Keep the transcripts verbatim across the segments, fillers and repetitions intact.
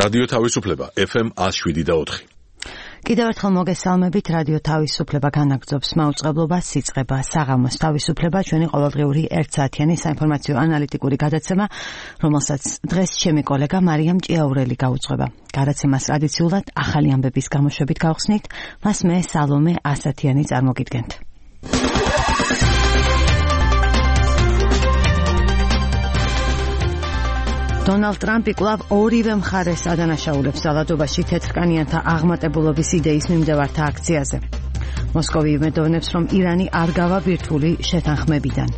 რადიო თავისუფლება ეფ ემ one oh seven და four. კიდევ ერთხელ მოგესალმებით, რადიო თავისუფლება განაგრძობს მაუწყებლობას, სიწყება, საღამოს თავისუფლება, ჩვენი ყოველდღიური ერთსაათიანი საინფორმაციო ანალიტიკური გადაცემა, რომელსაც დღეს ჩემი კოლეგა მარიამ ჭიაურელი გაუძღვება. გადაცემას ტრადიციულად ახალი ამბების გამოშვებით გავხსნით, მას მე სალომე ასათიანი წარმოგიდგენთ. დონალდ ტრამპი კვლავ ორივე მხარეს ადანაშაულებს ძალადობაში თეთრკანიანთა აღმატებულობის იდეის მიმდევართა აქციაზე. მოსკოვი იმედოვნებს, რომ ირანი არ გავა ბირთვული შეთანხმებიდან.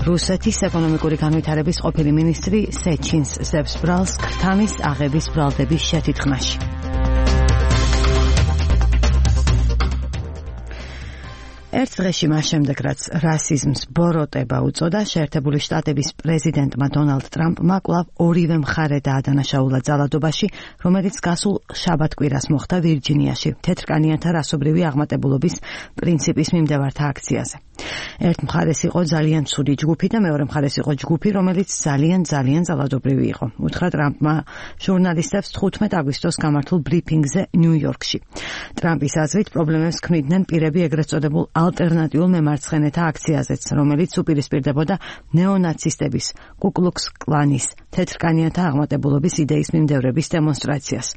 რუსეთის ეკონომიკური განვითარების ყოფილი მინისტრი სეჩინს ზებს ბრალს ქრთამის აღების ბრალდების შეთითხმაში. ერთ დღეში მას შემდეგ, რაც რასიზმს ბოროტება უწოდა, შეერთებული შტატების პრეზიდენტმა დონალდ ტრამპმა კვლავ ორივე მხარე დაადანაშაულა ძალადობაში, რომელიც გასულ შაბათ-კვირას მოხდა ვირჯინიაში, თეთრკანიანთა რასობრივი აღმატებულობის პრინციპის მიმდევართა აქციაზე. ერთ მხარეს იყო ძალიან ცუდი ჯგუფი და მეორე მხარეს იყო ჯგუფი, რომელიც ძალიან ძალიან ძალადობრივი იყო. უთხრა ტრამპმა ჟურნალისტებს თხუთმეტ აგვისტოს გამართულ ბრიფინგზე ნიუ-იორკში. ტრამპის აზრით პრობლემებს ქმნიდნენ პირები ეგრეთ წოდებულ ალტერნატიულ მემარცხენეთა აქციაზეც, რომელიც უპირისპირდებოდა ნეონაცისტების, კუკლუქს კლანის, თეთრკანიანთა აღმატებულობის იდეის მიმდევრების დემონსტრაციას.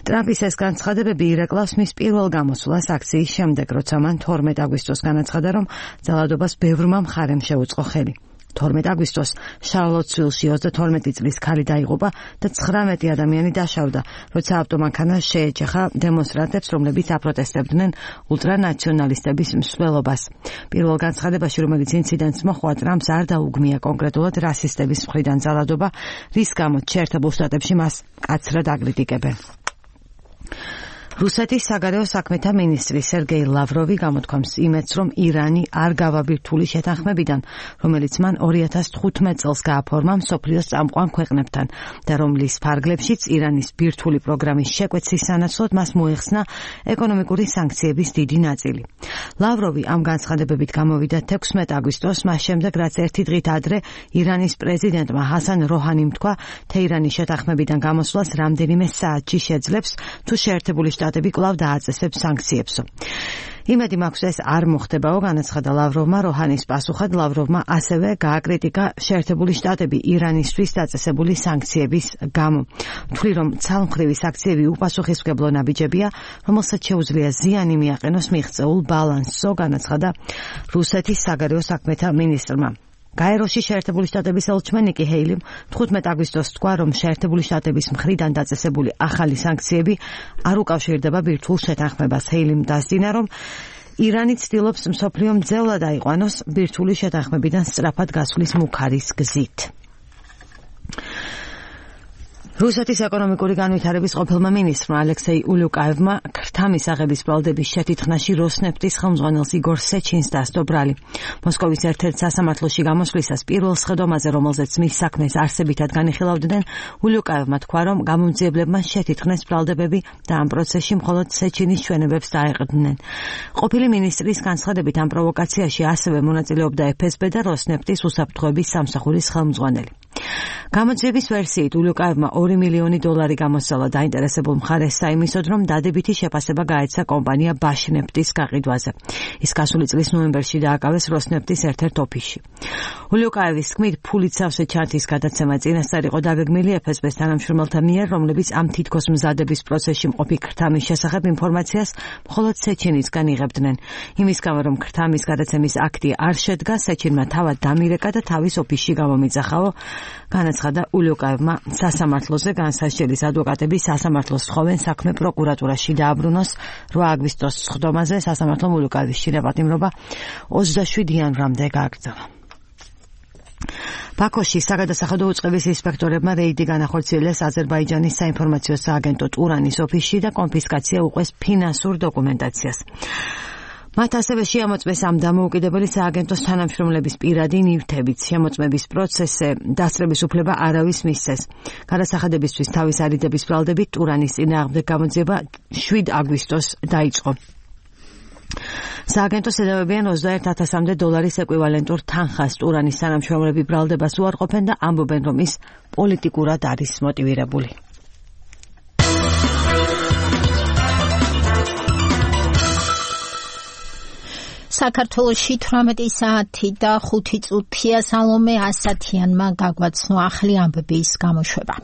ტრამპის ეს განცხადებები ირეკლავს მის პირველ გამოსვლას აქციის შემდეგ, როცა მან თორმეტ აგვისტოს განაცხადა, რომ ძალადობას ბევრმა მხარემ შეუწყო ხელი. თორმეტ აგვისტოს შარლოტსვილში ოცდათორმეტი წლის ქალი დაიღუპა და ცხრამეტი ადამიანი დაშავდა, როცა ავტომანქანა შეეჯახა დემონსტრანტებს, რომლებიც აპროტესტებდნენ ულტრანაციონალისტების მსვლელობას. პირველ განცხადებაში, რომელიც ინციდენტს მოჰყვა, ტრამპს არ დაუგმია კონკრეტულად რასისტების მხრიდან ძალადობა, რის გამოც შეერთებულ შტატებში მას მკაცრად აკრიტიკებენ. რუსეთის საგარეო საქმეთა მინისტრი სერგეი ლავროვი გამოთქვამს იმედს, რომ ირანი არ გავა ბირთვული შეთანხმებიდან, რომელიც მან ორი ათას თხუთმეტ წელს გააფორმა მსოფლიოს წამყვან ქვეყნებთან და რომლის ფარგლებშიც ირანის ბირთვული პროგრამის შეკვეცის სანაცვლოდ მას მოეხსნა ეკონომიკური სანქციების დიდი ნაწილი. ლავროვი ამ განცხადებებით გამოვიდა თექვსმეტ აგვისტოს, მას შემდეგ, რაც ერთი დღით ადრე ირანის პრეზიდენტმა ჰასან როჰანიმ თქვა, თეირანის შეთანხმებიდან გამოსვლას რამდენიმე საათში შეძლებს, თუ შეერთებული შტატები კვლავ დააწესებს სანქციებსო. იმედი მაქვს ეს არ მოხდებაო, განაცხადა ლავროვმა. როჰანის პასუხად ლავროვმა ასევე გააკრიტიკა შეერთებული შტატები ირანისთვის დაწესებული სანქციების გამო. თვლი, რომ ცალმხრივი სანქციები უპასუხისმგებლო ნაბიჯებია, რომელსაც შეუძლია ზიანი მიაყენოს მიღწეულ ბალანსო, განაცხადა რუსეთის საგარეო საქმეთა მინისტრმა. გაეროში შეერთებული შტატების ელჩმა ნიკი ჰეილიმ თხუთმეტ აგვისტოს თქვა, რომ შეერთებული შტატების მხრიდან დაწესებული ახალი სანქციები არ უკავშირდება ბირთვულ შეთანხმებას. ჰეილიმ დასძინა, რომ ირანი ცდილობს მსოფლიო მძევლად აიყვანოს ბირთვული შეთანხმებიდან სწრაფად გასვლის მუქარის გზით. რუსეთის ეკონომიკური განვითარების ყოფილმა მინისტრმა ალექსეი ულუკაევმა ქრთამის აღების ბრალდების შეთითხმაში როსნეფტის ხელმძღვანელს იგორ სეჩინს დასდო ბრალი. მოსკოვის ერთ-ერთ სასამართლოში გამოსვლისას პირველ სხდომაზე, რომელზეც მის საქმეს არსებითად განიხილავდნენ, ულუკაევმა თქვა, რომ გამომძიებლებმა შეთითხნეს ბრალდებები და ამ პროცესში მხოლოდ სეჩინის ჩვენებებს დაეყრდნენ. ყოფილი მინისტრის განცხადებით ამ პროვოკაციაში ასევე მონაწილეობდა ეფ ეს ბე და როსნეფტის უსაფრთხოების სამსახურის ხელმძღვანელი. გამოძიების ვერსიით ულუკაევმა ორი მილიონი დოლარი გამოსცალა დაინტერესებულ მხარეს საიმისოდ, რომ დადებითი შეფასება გაეცა კომპანია ბაშნეფტის გაყიდვაზე. ის გასული წლის ნოემბერში დააკავეს როსნეფტის ერთ-ერთ ოფისში. ულუკაევის თქმით, ფულით სავსე ჩანთის გადაცემა წინასწარ იყო დაგეგმილი ეფ ეს ბეს თანამშრომელთა მიერ, რომლებიც ამ თითქოს მზადების პროცესში მყოფი ქრთამის შესახებ ინფორმაციას მხოლოდ სეჩინისგან იღებდნენ. იმის გამო, რომ ქრთამის გადაცემის აქტი არ შედგა, სეჩინმა თავად დამირეკა და თავის ოფისში გამომიძახაო, განაცხადა ულუკაევმა. სასამართლოზე განსასჯელის ადვოკატები სასამართლოს თხოვენ საქმე პროკურატურაში დააბრუნოს. რვა აგვისტოს სხდომაზე სასამართლომ ულუკაევის შინაპატიმრობა ოცდაშვიდ იანვრამდე გააგრძელა. ბაქოში საგადასახადო უწყების ინსპექტორებმა რეიდი განახორციელეს აზერბაიჯანის საინფორმაციო სააგენტო ტურანის ოფისში და კონფისკაცია უყვეს ფინანსურ დოკუმენტაციას. მათ ასევე შეამოწმეს ამ დამოუკიდებელი სააგენტოს თანამშრომლების პირადი ნივთებიც. შემოწმების პროცესზე დასწრების უფლება არავის მისცეს. გადასახადებისთვის თავის არიდების ბრალდებით ტურანის წინააღმდეგ გამოძიება შვიდ აგვისტოს დაიწყო. სააგენტოს ედავებიან ოცდაერთ ათასამდე დოლარის ეკვივალენტურ თანხას ტურანის თანამშრომლები ბრალდებას უარყოფენ და ამბობენ, რომ ის პოლიტიკურად არის მოტივირებული. საქართველოში თვრამეტი საათი და ხუთი წუთია. სალომე ასათიანმა გაგვაცნო ახლი ამბების გამოშვება.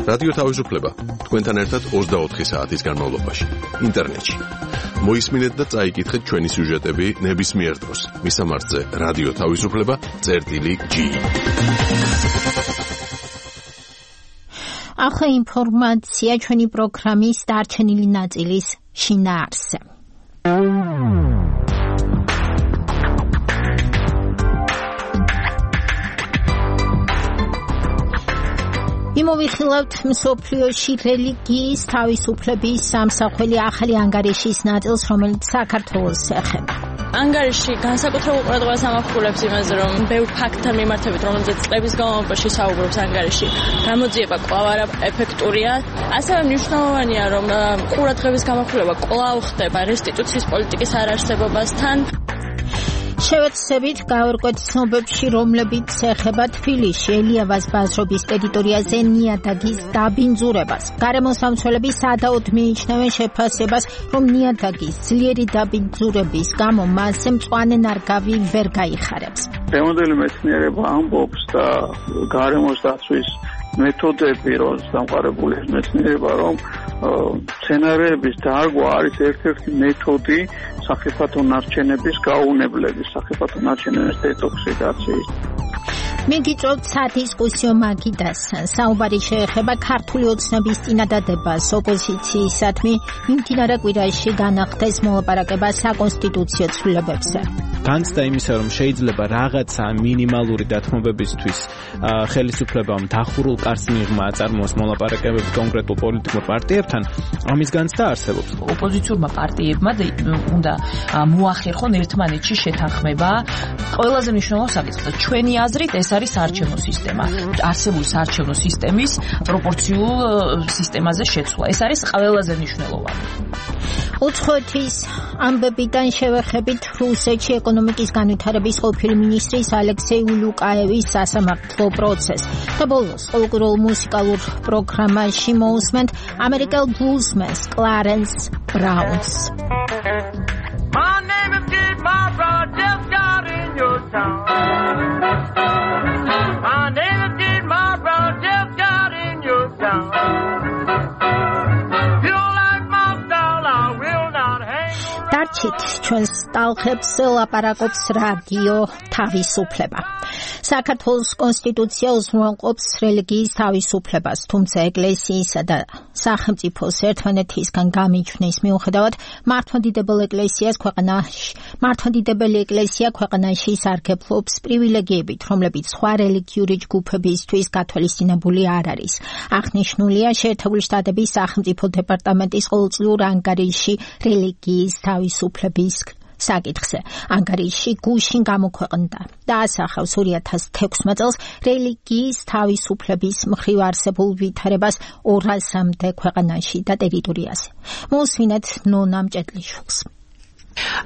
რადიო თავისუფლება თქვენთან ერთად ოცდაოთხი საათის განმავლობაში ინტერნეტში. მოისმინეთ და წაიკითხეთ ჩვენი სიუჟეტები ნებისმიერ დროს. მისამართზე რადიო თავისუფლება წერტილი ჯი. ახლა ინფორმაცია ჩვენი პროგრამის დარჩენილი ნაწილის შინაარსზე. იმოვიხილავთ მსოფლიოში რელიგიის თავისუფლების სამსახველი ახალი ანგარიშის ნაწილს, რომელიც საქართველოს ეხება. ანგარიში განსაკუთრებულ ყურადღებას ამახვილებს იმაზე, რომ ბევრ ფაქტთან მიმართებით, რომელზეც წლების განმავლობაში საუბრობს ანგარიში, გამოძიება კვლავ არაეფექტურია. ასევე მნიშვნელოვანია, რომ ყურადღების გამახვილება კვლავ ხდება რესტიტუციის პოლიტიკის არარსებობასთან. შევეცდებით გავერკვეთ ცნობებში, რომლებიც ეხება თბილისში ელიავას ბაზრობის ტერიტორიაზე ნიადაგის დაბინძურებას. გარემოსამცველები სადაოდ მიიჩნევენ შეფასებას, რომ ნიადაგის ძლიერი დაბინძურების გამო მასზე მწვანე ნარგავი ვერ გაიხარებს. დღევანდელი მეცნიერება ამბობს და გარემოს დაცვის მეთოდები, როდის დამყარებული მეცნიერება, რომ სცენარების დარგვა არის ერთ-ერთი მეთოდი სახიფათო ნარჩენების გაუნებლების, სახიფათო ნარჩენების დეტოქსიკაციის. მიგიწევთ სადისკუსიო მაგიდასთან. საუბარი შეეხება ქართული ოცნების წინადადებას ოპოზიციისადმი მიმდინარე კვირაში განახდეს მოლაპარაკება საკონსტიტუციო ცვლილებებზე. განცდა იმისა, რომ შეიძლება რაღაცა მინიმალური დათმობებისთვის ხელისუფლებამ დახურულ კარს მიღმა აწარმოოს მოლაპარაკებები კონკრეტულ პოლიტიკურ პარტიებთან, ამის განცდა არსებობს. ოპოზიციურმა პარტიებმა უნდა მოახერხონ ერთმანეთში შეთანხმება ყველაზე მნიშვნელოვან საკითხზე. ჩვენი აზრით ეს არის საარჩევნო სისტემა. არსებული საარჩევნო სისტემის პროპორციულ სისტემაზე შეცვლა. ეს არის ყველაზე მნიშვნელოვანი. უცხოეთის ამბებიდან შევეხებით რუსეთში ეკონომიკის განვითარების ყოფილი მინისტრის ალექსეი ულუკაევის სასამართლო პროცესს. და ბოლოს ყოველკვირეულ მუსიკალურ პროგრამაში მოусმენთ ამერიკელ ბლუზმენს კლარენს ბრაუნს. My name is Kid Barbara, just got in your town. My name is Kid Barbara, just got in your town. დარჩით ჩვენს ტალღებს ლაპარაკობს რადიო თავისუფლება. საქართველოს კონსტიტუცია უზრუნველყოფს რელიგიის თავისუფლებას, თუმცა ეკლესიისა და სახელმწიფოს ერთმანეთისგან გამიჯვნის მიუხედავად მართლმადიდებელ ეკლესიას ქვეყანაში მართლმადიდებელი ეკლესია ქვეყანაში სარგებლობს პრივილეგიებით, რომლებიც სხვა რელიგიური ჯგუფებისთვის გათვალისწინებული არ არის. აღნიშნულია შეერთებული შტატების სახელმწიფო დეპარტამენტის ყოველწლიურ ანგარიში რელიგიის თავისუფლების საკითხზე. ანგარიში გუშინ გამოქვეყნდა და ასახავს ორი ათას თექვსმეტ წელს რელიგიის თავისუფლების მხრივ არსებულ ვითარებას ორასამდე ქვეყანაში და ტერიტორიაზე. მოусმინეთ ნონა მჭედლიშვილს.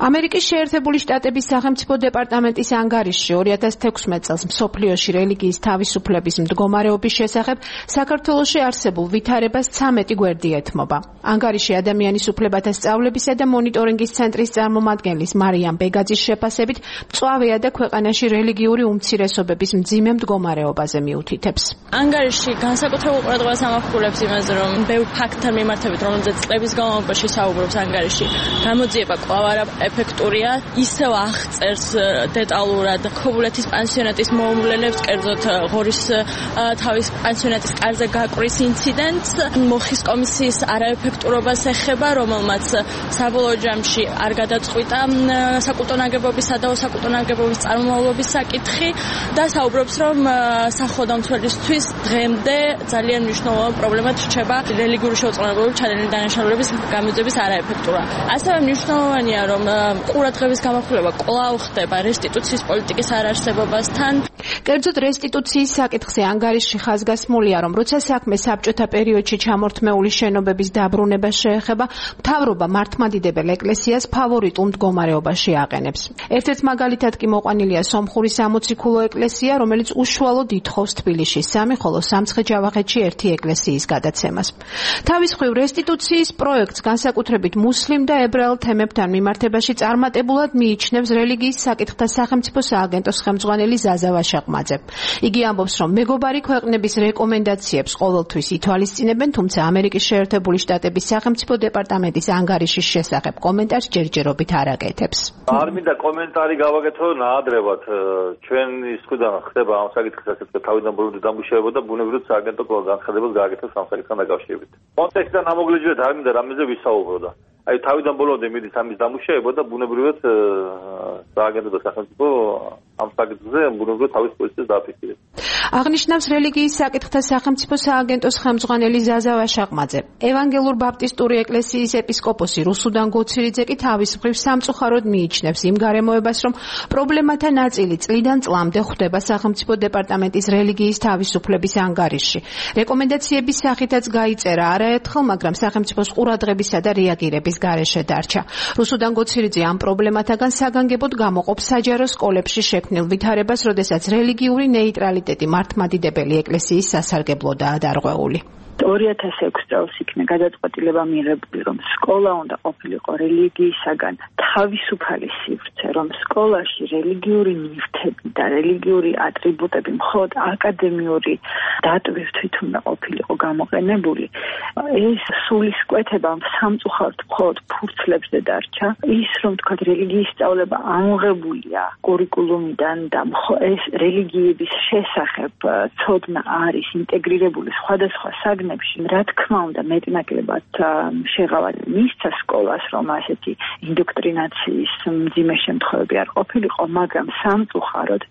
ამერიკის შეერთებული შტატების სახელმწიფო დეპარტამენტის ანგარიშში ორი ათას თექვსმეტ წელს მსოფლიოში რელიგიის თავისუფლების მდგომარეობის შესახებ საქართველოში არსებულ ვითარებას ცამეტი გვერდი ეთმობა. ანგარიში ადამიანის უფლებათა სწავლებისა და მონიტორინგის ცენტრის წარმომადგენლის მარიამ ბეგაძის შეფასებით მწვავეა და ქვეყანაში რელიგიური უმცირესობების მძიმე მდგომარეობაზე მიუთითებს. ანგარიში განსაკუთრებულ ყურადღებას ამახვილებს იმაზე, რომ ბევრ ფაქტთან მიმართებით, რომელზეც წლების განმავლობაში საუბრობს ანგარიში, გამოძიება კვლავ ეფექტურია. ისევ აღწერს დეტალურად ქობულეთის პანსიონატის მოუვლელებს, კერძოდ ღორის თავის პანსიონატის კარზე გაკვრის ინციდენტს, მოხის კომისიის არაეფექტურობას ეხება, რომელმაც საბოლოო ჯამში არ გადაწყვიტა საკულტო ნაგებობისა და საკულტო ნაგებობის წარმომავლობის საკითხი და საუბრობს, რომ სახელმწიფოსთვის დღემდე ძალიან მნიშვნელოვანი პრობლემად რჩება რელიგიური შეუწყვილებლობის ჩადენილი დანაშაულების გამოძიების არაეფექტურა. ასევე მნიშვნელოვანია, რომ ყურადღების გამახვილება კვლავ ხდება რესტიტუციის პოლიტიკის არარსებობასთან. კერძოდ რესტიტუციის საკითხზე ანგარიში ხაზგასმულია, რომ როცა საქმე საბჭოთა პერიოდში ჩამორთმეული შენობების დაბრუნება შეეხება, მთავრობა მართლმადიდებელ ეკლესიას ფავორიტულ მდგომარეობაში აყენებს. ერთ-ერთ მაგალითად კი მოყვანილია სომხური სამოციქულო ეკლესია, რომელიც უშუალოდ ითხოვს თბილისში სამი, ხოლო სამცხე-ჯავახეთში ერთი ეკლესიის გადაცემას. თავის მხრივ რესტიტუციის პროექტს განსაკუთრებით მუსლიმ და ებრაელ თემებთან მიმართ მიმართებაში წარმატებულად მიიჩნევს რელიგიის საკითხთა სახელმწიფო სააგენტოს ხელმძღვანელი ზაზა ვაშაყმაძე. იგი ამბობს, რომ მეგობარი ქვეყნების რეკომენდაციებს ყოველთვის ითვალისწინებენ, თუმცა ამერიკის შეერთებული შტატების სახელმწიფო დეპარტამენტის ანგარიშის შესახებ კომენტარს ჯერჯერობით არ აკეთებს. არ მინდა კომენტარი გავაკეთო ნაადრევად. ჩვენ ის თქვენ ხდება ამ საკითხის ასეთ თავიდან ბოლომდე დამუშავება და ბუნებრივად სააგენტო განცხადებას გააკეთებს ამ საკითხთან დაკავშირებით. კონტექსტიდან ამოგლიჯვეთ არ მინდა რამეზე ვისაუბრო და აი თავიდან ბოლომდე მიდის ამის დამუშავება და ბუნებრივად სააგენტო და სახელმწიფო ამ საკითხზე ბუნებრივად თავის პოზიციას დააფიქსირებს. აღნიშნავს რელიგიის საკითხთა სახელმწიფო სააგენტოს ხელმძღვანელი ზაზა ვაშაყმაძე. ევანგელურ ბაპტისტური ეკლესიის ეპისკოპოსი რუსუდან გოცირიძე კი თავის მხრივ სამწუხაროდ მიიჩნევს იმ გარემოებას, რომ პრობლემათა ნაწილი წლიდან წლამდე ხვდება სახელმწიფო დეპარტამენტის რელიგიის თავისუფლების ანგარიშში. რეკომენდაციების სახითაც გაიწერა არაერთხელ, მაგრამ სახელმწიფოს ყურადღებისა და რეაგირების გარეშე დარჩა. რუსუდან გოცირიძე ამ პრობლემათაგან საგანგებოდ გამოყოფს საჯარო სკოლებში შექმნილ ვითარებას, როდესაც რელიგიური ნეიტრალიტეტი მართლმადიდებელი ეკლესიის სასარგებლოდაა დარღვეული. ორი ათას ექვსი წელს იქნა გადაწყვეტილება მიღებული, რომ სკოლა უნდა ყოფილიყო რელიგიისაგან თავისუფალი სივრცე, რომ სკოლაში რელიგიური ნივთები და რელიგიური ატრიბუტები მხოლოდ აკადემიური დატვირთვით უნდა ყოფილიყო გამოყენებული. ეს სულისკვეთება სამწუხაროდ მხოლოდ ფურცლებზე დარჩა. ის რომ თქვა რელიგიის სწავლება ამოღებულია კურიკულუმიდან და ეს რელიგიების შესახებ ცოდნა არის ინტეგრირებული სხვადასხვა საგნებში, რა თქმა უნდა მეტნაკლებად შეღავად მისცა სკოლას, რომ ასეთი ინდოქტრინაციის მძიმე შემთხვევები არ ყოფილიყო, მაგრამ სამწუხაროდ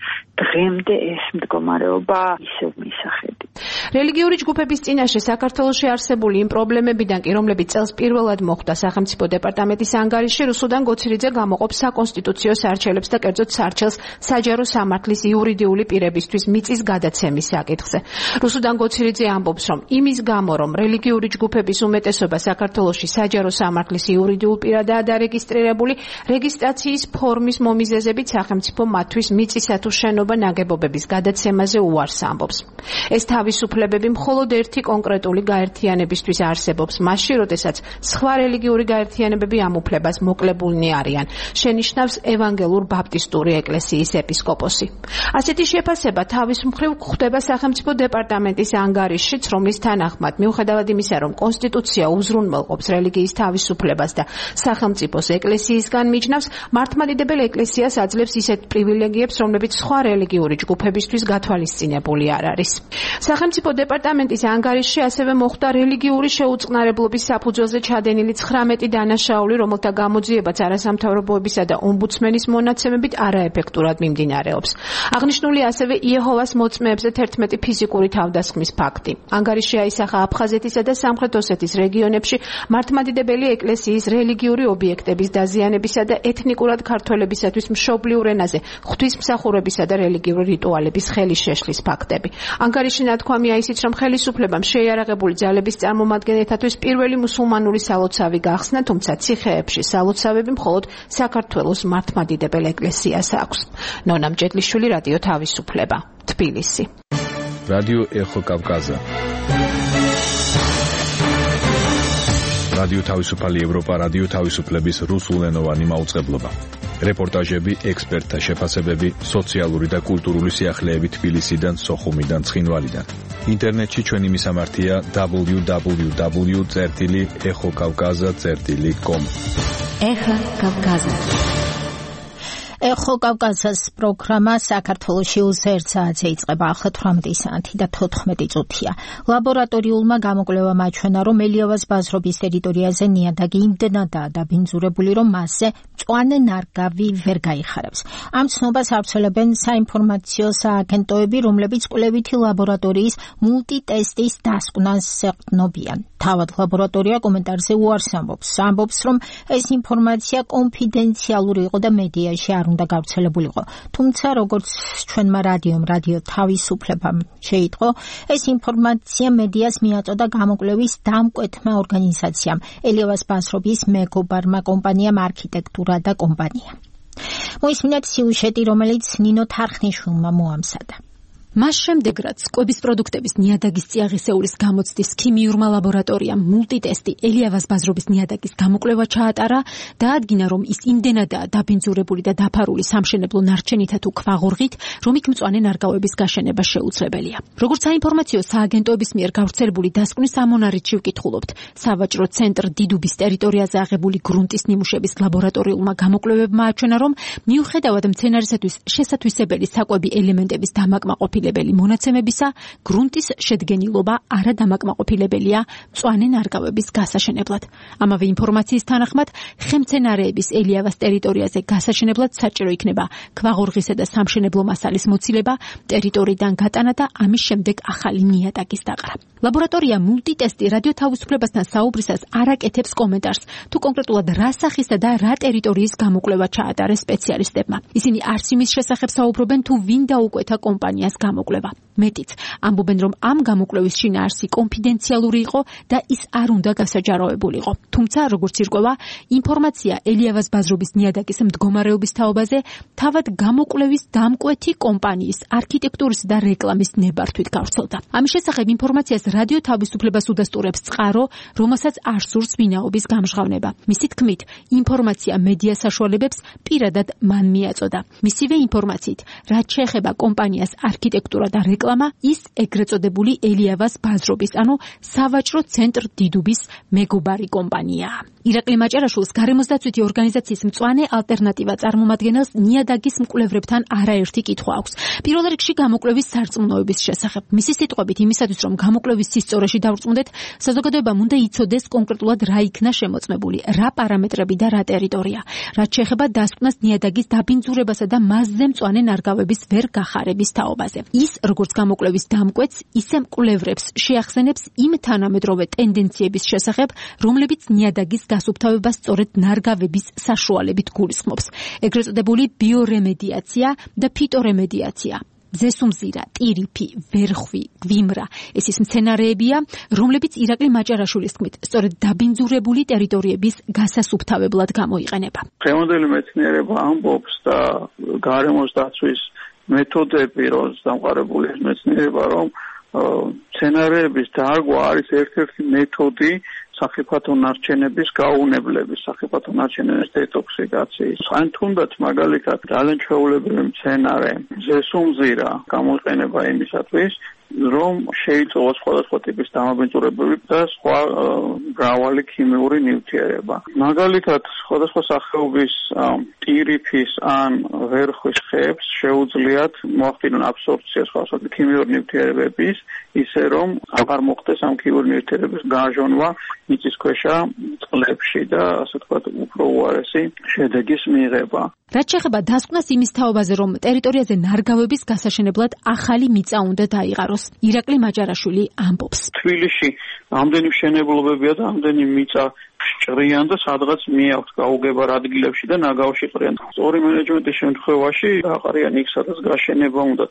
დღემდე ეს მდგომარეობა ისევ მისახედი. რელიგიური ჯგუფების წინაშე საქართველოში არსებული იმ პრობლემებიდან კი, რომლებიც წელს პირველად მოხდა სახელმწიფო დეპარტამენტის ანგარიშში, რუსუდან გოცირიძე გამოყოფს საკონსტიტუციო სარჩელებს და კერძოდ სარჩელს საჯარო სამართლის იურიდიული პირებისთვის მიწის გადაცემის საკითხზე. რუსუდან გოცირიძე ამბობს, რომ იმის გამო, რომ რელიგიური ჯგუფების უმეტესობა საქართველოში საჯარო სამართლის იურიდიულ პირადაა დარეგისტრირებული, რეგისტრაციის ფორმის მომიზეზებით სახელმწიფო მათთვის მიწისა თუ შენობა ნაგებობების გადაცემაზე უარს ამბობს. ეს თავისუფლებები მხოლოდ ერთი კონკრეტული გაერთიანებისთვის არსებობს, მასში, როდესაც სხვა რელიგიური გაერთიანებები ამ უფლებას მოკლებულნი არიან, შენიშნავს ევანგელურ ბაპტისტური ეკლესიის ეპისკოპოსი. ასეთი შეფასება თავის მხრივ გვხვდება სახელმწიფო დეპარტამენტის ანგარიშშიც, რომლის თანახმად, მიუხედავად იმისა, რომ კონსტიტუცია უზრუნველყოფს რელიგიის თავისუფლებას და სახელმწიფოს ეკლესიისგან მიჯნავს, მართლმადიდებელ ეკლესიას აძლევს ისეთ პრივილეგიებს, რომლებიც სხვა რელიგიური ჯგუფებისთვის გათვალისწინებული არ არის. სახელმწიფო დეპარტამენტის ანგარიშში ასევე მოხდა რელიგიური შეუწყნარებლობის საფუძველზე ჩადენილი ცხრამეტი დანაშაული, რომელთა გამოძიებაც არასამთავრობოებისა და ომბუდსმენის მონაცემებით არაეფექტურად მიმდინარეობს. აღნიშნული ასევე იეჰოვას მოწმეებზე თერთმეტი ფიზიკური თავდასხმის ფაქტი. ანგარიში აისახა აფხაზეთისა და სამხრეთ ოსეთის რეგიონებში მართლმადიდებელი ეკლესიის რელიგიური ობიექტების დაზიანებისა და ეთნიკურად ქართველებისათვის მშობლიურ ენაზე ღვთისმსახურებისა და რელიგიური რიტუალების ხელის შეშლის ფაქტები. ანგარიში ნათქვამია ისიც, რომ ხელისუფლებამ შეიარაღებული ძალების წარმომადგენლეთათვის პირველი მუსულმანური სალოცავი გახსნა, თუმცა ციხეებში სალოცავები მხოლოდ საქართველოს მართლმადიდებელ ეკლესიას აქვს. ნონა მჭედლიშვილი, რადიო თავისუფლება, თბილისი. რადიო ეხო კავკაზა. რადიო თავისუფალი ევროპა, რადიო თავისუფლების რუსულენოვანი მაუწყებლობა. რეპორტაჟები, ექსპერტთა შეფასებები, სოციალური და კულტურული სიახლეები თბილისიდან, სოხუმიდან, ცხინვალიდან. ინტერნეტში ჩვენი მისამართია დაბლიუ დაბლიუ დაბლიუ წერტილი ეხო კავკაზა წერტილი კომ. ეხო კავკაზა. ეხო კავკაზას პროგრამა საქართველოში ერთ საათზე იწყება, ახლა თვრამეტი საათი და თოთხმეტი წუთია. ლაბორატორიულმა გამოკვლევამ აჩვენა, რომ ელიავას ბაზრობის ტერიტორიაზე ნიადაგი იმდენადაა დაბინძურებული, რომ მასზე მწვანე ნარგავი ვერ გაიხარებს. ამ ცნობას ავრცელებენ საინფორმაციო სააგენტოები, რომლებიც კვლევითი ლაბორატორიის მულტიტესტის დასკვნას ეყრდნობიან. თავად ლაბორატორია კომენტარზე უარს ამბობს. ამბობს, რომ ეს ინფორმაცია კონფიდენციალური იყო და მედიაში არ უნდა გავრცელებულიყო. თუმცა, როგორც ჩვენმა რადიომ, რადიო თავისუფლებამ შეიტყო, ეს ინფორმაცია მედიას მიაწოდა გამოკვლევის დამკვეთმა ორგანიზაციამ, ელიავას ბაზრობის მეგობარმა კომპანიამ არქიტექტურა და კომპანია. მოისმინეთ სიუჟეტი, რომელიც ნინო თარხნიშვილმა მოამზადა. მას შემდეგ, რაც კვების პროდუქტების ნიადაგის წიაღისეულის გამოცდის ქიმიურმა ლაბორატორიამ მულტიტესტი ელიავას ბაზრობის ნიადაგის გამოკვლევა ჩაატარა, დაადგინა, რომ ის იმდენადაა დაბინძურებული და დაფარული სამშენებლო ნარჩენითა თუ ქვაღორღით, რომ იქ მწვანე ნარგავების გაშენება შეუძლებელია. როგორც საინფორმაციო სააგენტოების მიერ გავრცელებული დასკვნის ამონარიდში ვკითხულობთ, სავაჭრო ცენტრ დიდუბის ტერიტორიაზე აღებული გრუნტის ნიმუშების ლაბორატორიულმა გამოკვლევებმა აჩვენა, რომ მიუხედავად მცენარისათვის შესათვისებელი საკვები ელემენტების დამაკმაყოფილებელი მონაცემებისა, გრუნტის შედგენილობა არადამაკმაყოფილებელია მწვანე ნარგავების გასაშენებლად. ამავე ინფორმაციის თანახმად, ხემცენარეების ელიავას ტერიტორიაზე გასაშენებლად საჭირო იქნება ქვაღორღისა და სამშენებლო მასალის მოცილება, ტერიტორიიდან გატანა და ამის შემდეგ ახალი ნიადაგის დაყრა. ლაბორატორია მულტიტესტი რადიო თავისუფლებასთან საუბრისას არ აკეთებს კომენტარს, თუ კონკრეტულად რა სახისა და რა ტერიტორიის გამოკვლევა ჩაატარეს სპეციალისტებმა. ისინი არც იმის შესახებ საუბრობენ, თუ ვინ დაუკვეთა კომპანიას გამოკვლევა. მეტიც, ამბობენ, რომ ამ გამოკვლევის შინაარსი კონფიდენციალური იყო და ის არ უნდა გასაჯაროებულიყო. თუმცა, როგორც ირკვევა, ინფორმაცია ელიავას ბაზრობის ნიადაგის მდგომარეობის თაობაზე თავად გამოკვლევის დამკვეთი კომპანიის არქიტექტურის და რეკლამის ნებართვით გავრცელდა. ამის შესახებ ინფორმაციას რადიო თავისუფლებას უდასტურებს წყარო, რომელსაც არ სურს ვინაობის გამჟღავნება. მისი თქმით, ინფორმაცია მედია საშუალებებს პირადად მან მიაწოდა. მისივე ინფორმაციით, რაც შეეხება კომპანიას არქიტექტურა და რეკლამა, ის ეგრეთ წოდებული ელიავას ბაზრობის, ანუ სავაჭრო ცენტრ დიდუბის მეგობარი კომპანიაა. ირაკლი მაჭარაშვილს გარემოსდაცვითი ორგანიზაციის მწვანე ალტერნატივა წარმომადგენელს ნიადაგის მკვლევრებთან არაერთი კითხვა აქვს. პირველ რიგში გამოკვლევის სარწმუნოების შესახებ. მისი სიტყვებით, იმისათვის რომ გამოკვლევის სისწორეში დავრწმუნდეთ, საზოგადოებამ უნდა იცოდეს კონკრეტულად რა იქნა შემოწმებული, რა პარამეტრები და რა ტერიტორია. რაც შეეხება დასკვნას ნიადაგის დაბინძურებასა და მასზე მწვანე ნარგავების ვერ გახარების თაობაზე. ის, როგორც გამოკვლევის დამკვეთს, ისე მკვლევრებს შეახსენებს იმ თანამედროვე ტენდენციების შესახებ, რომლებიც ნიადაგის გასუფთავებას სწორედ ნარგავების საშუალებით გულისხმობს. ეგრეთ წოდებული ბიორემედიაცია და ფიტორემედიაცია. ზესუმზირა, ტირიფი, ვერხვი, გვიმრა, ეს ის მცენარეებია, რომლებიც ირაკლი მაჭარაშვილის თქმით, სწორედ დაბინძურებული ტერიტორიების გასასუფთავებლად გამოიყენება. დღევანდელი მეცნიერება ამბობს და გარემოს დაცვის მეთოდები, როც დამყარებული მეცნიერება, რომ მცენარეების დარგვა არის ერთ-ერთი მეთოდი სახიფათო ნარჩენების გაუნებლების, სახიფათო ნარჩენების დეტოქსიკაციის. ან თუნდაც მაგალითად ძალიან ჩვეულებრივი მცენარე ზესუმზირა გამოიყენება იმისათვის, რომ შეიწოვოს სხვადასხვა ტიპის დამაბინძურებები და სხვა მრავალი ქიმიური ნივთიერება. მაგალითად, სხვადასხვა სახეობის ტირიფის ან ვერხვის ხეებს შეუძლიათ მოახდინონ აბსორბცია სხვადასხვა ქიმიური ნივთიერებების, ისე რომ აღარ მოხდეს ამ ქიმიური ნივთიერების გაჟონვა მიწისქვეშა წყლებში და ასე ვთქვათ, უფრო უარესი შედეგის მიღება. რაც შეეხება დასკვნას იმის თაობაზე, რომ ტერიტორიაზე ნარგავების გასაშენებლად ახალი მიწა უნდა დაიყაროს. ირაკლი მაჭარაშვილი ამბობს. თბილისში ამდენი მშენებლობებია და ამდენი მიწა ჭრიან და სადღაც მიაქვთ გაუგებარ ადგილებში და ნაგავში ყრიან. სწორი მენეჯმენტის შემთხვევაში აყარიან იქ, სადაც გაშენება უნდა.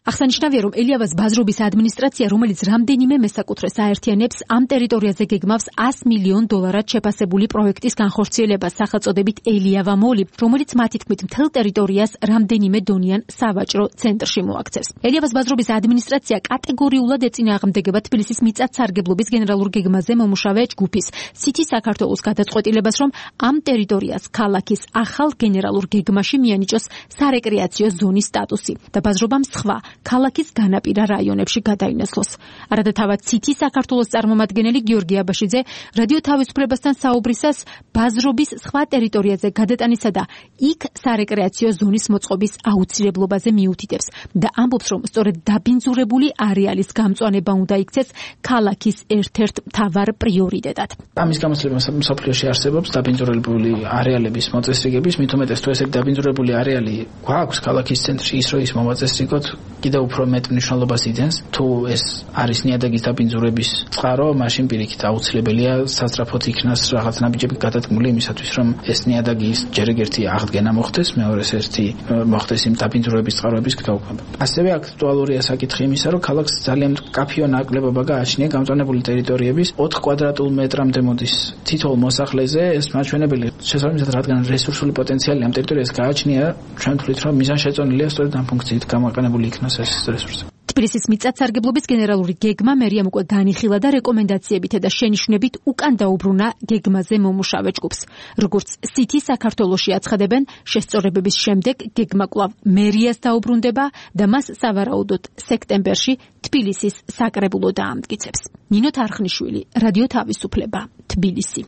აღსანიშნავია, რომ ელიავას ბაზრობის ადმინისტრაცია, რომელიც რამდენიმე მესაკუთრეს აერთიანებს, ამ ტერიტორიაზე გეგმავს ას მილიონ დოლარად შეფასებული პროექტის განხორციელებას სახელწოდებით ელიავა მოლი, რომელიც მათი თქმით მთელ ტერიტორიას რამდენიმე დონიან სავაჭრო ცენტრში მოაქცევს. ელიავას ბაზრობის ადმინისტრაცია კატეგორიულად ეწინააღმდეგება თბილისის მიწათსარგებლობის გენერალურ გეგმაზე მომუშავე ჯგუფის სითი საქართველოს გადაწყვეტილებას, რომ ამ ტერიტორიას ქალაქის ახალ გენერალურ გეგმაში მიანიჭოს სარეკრეაციო ზონის სტატუსი და ბაზრობამ სხვა ქალაქის განაპირა რაიონებში გადაინაცვლოს. არადათავად ცითი საქართველოს წარმომადგენელი გიორგი აბაშიძე რადიო თავისუფლებასთან საუბრისას ბაზრობის სხვა ტერიტორიაზე გადატანისა და იქ სარეკრეაციო ზონის მოწყობის აუცილებლობაზე მიუთითებს და ამბობს, რომ სწორედ დაბინძურებული არეალის გამწვანება უნდა იქცეს ქალაქის ერთ-ერთ მთავარ პრიორიტეტად. ამის გამოცდილება მსოფლიოში არსებობს დაბინძურებული არეალების მოწესრიგების, მით უმეტეს თუ ესე დაბინძურებული არეალი გვაქვს ქალაქის ცენტრში, ის რომ ის მომაწესრიგოთ კიდევ უფრო მეტ მნიშვნელობას იძენს. თუ ეს არის ნიადაგის დაბინძურების წყარო, მაშინ პირიქით აუცილებელია სასწრაფოდ იქნას რაღაც ნაბიჯები გადადგმული იმისათვის, რომ ეს ნიადაგის ჯერ ერთი აღდგენა მოხდეს, მეორეს ერთი მოხდეს იმ დაბინძურების წყაროების გაუქმება. ასევე აქტუალურია საკითხი იმისა, რომ ქალაქს ძალიან მკაფიო ნაკლებობა გააჩნია გამწვანებული ტერიტორიების ოთხ კვადრატულ მეტრამდე მოდის თითოეულ მოსახლეზე. ეს მაჩვენებელი შესაბამისად, რადგან რესურსული პოტენციალი ამ ტერიტორიას გააჩნია, ჩვენ ვთვლით, რომ მიზანშეწონილია სწორედ ამ ფუნქციით გამოყენებული იქნას ეს რესურსი. თბილისის მიწათსარგებლობის გენერალური გეგმა მერიამ უკვე განიხილა და რეკომენდაციებით და შენიშვნებით უკან დაუბრუნა გეგმაზე მომუშავე ჯგუფს. როგორც სითი საქართველოში აცხადებენ, შესწორებების შემდეგ გეგმა კვლავ მერიას დაუბრუნდება და მას სავარაუდოდ სექტემბერში თბილისის საკრებულო დაამტკიცებს. ნინო თარხნიშვილი, რადიო თავისუფლება, თბილისი.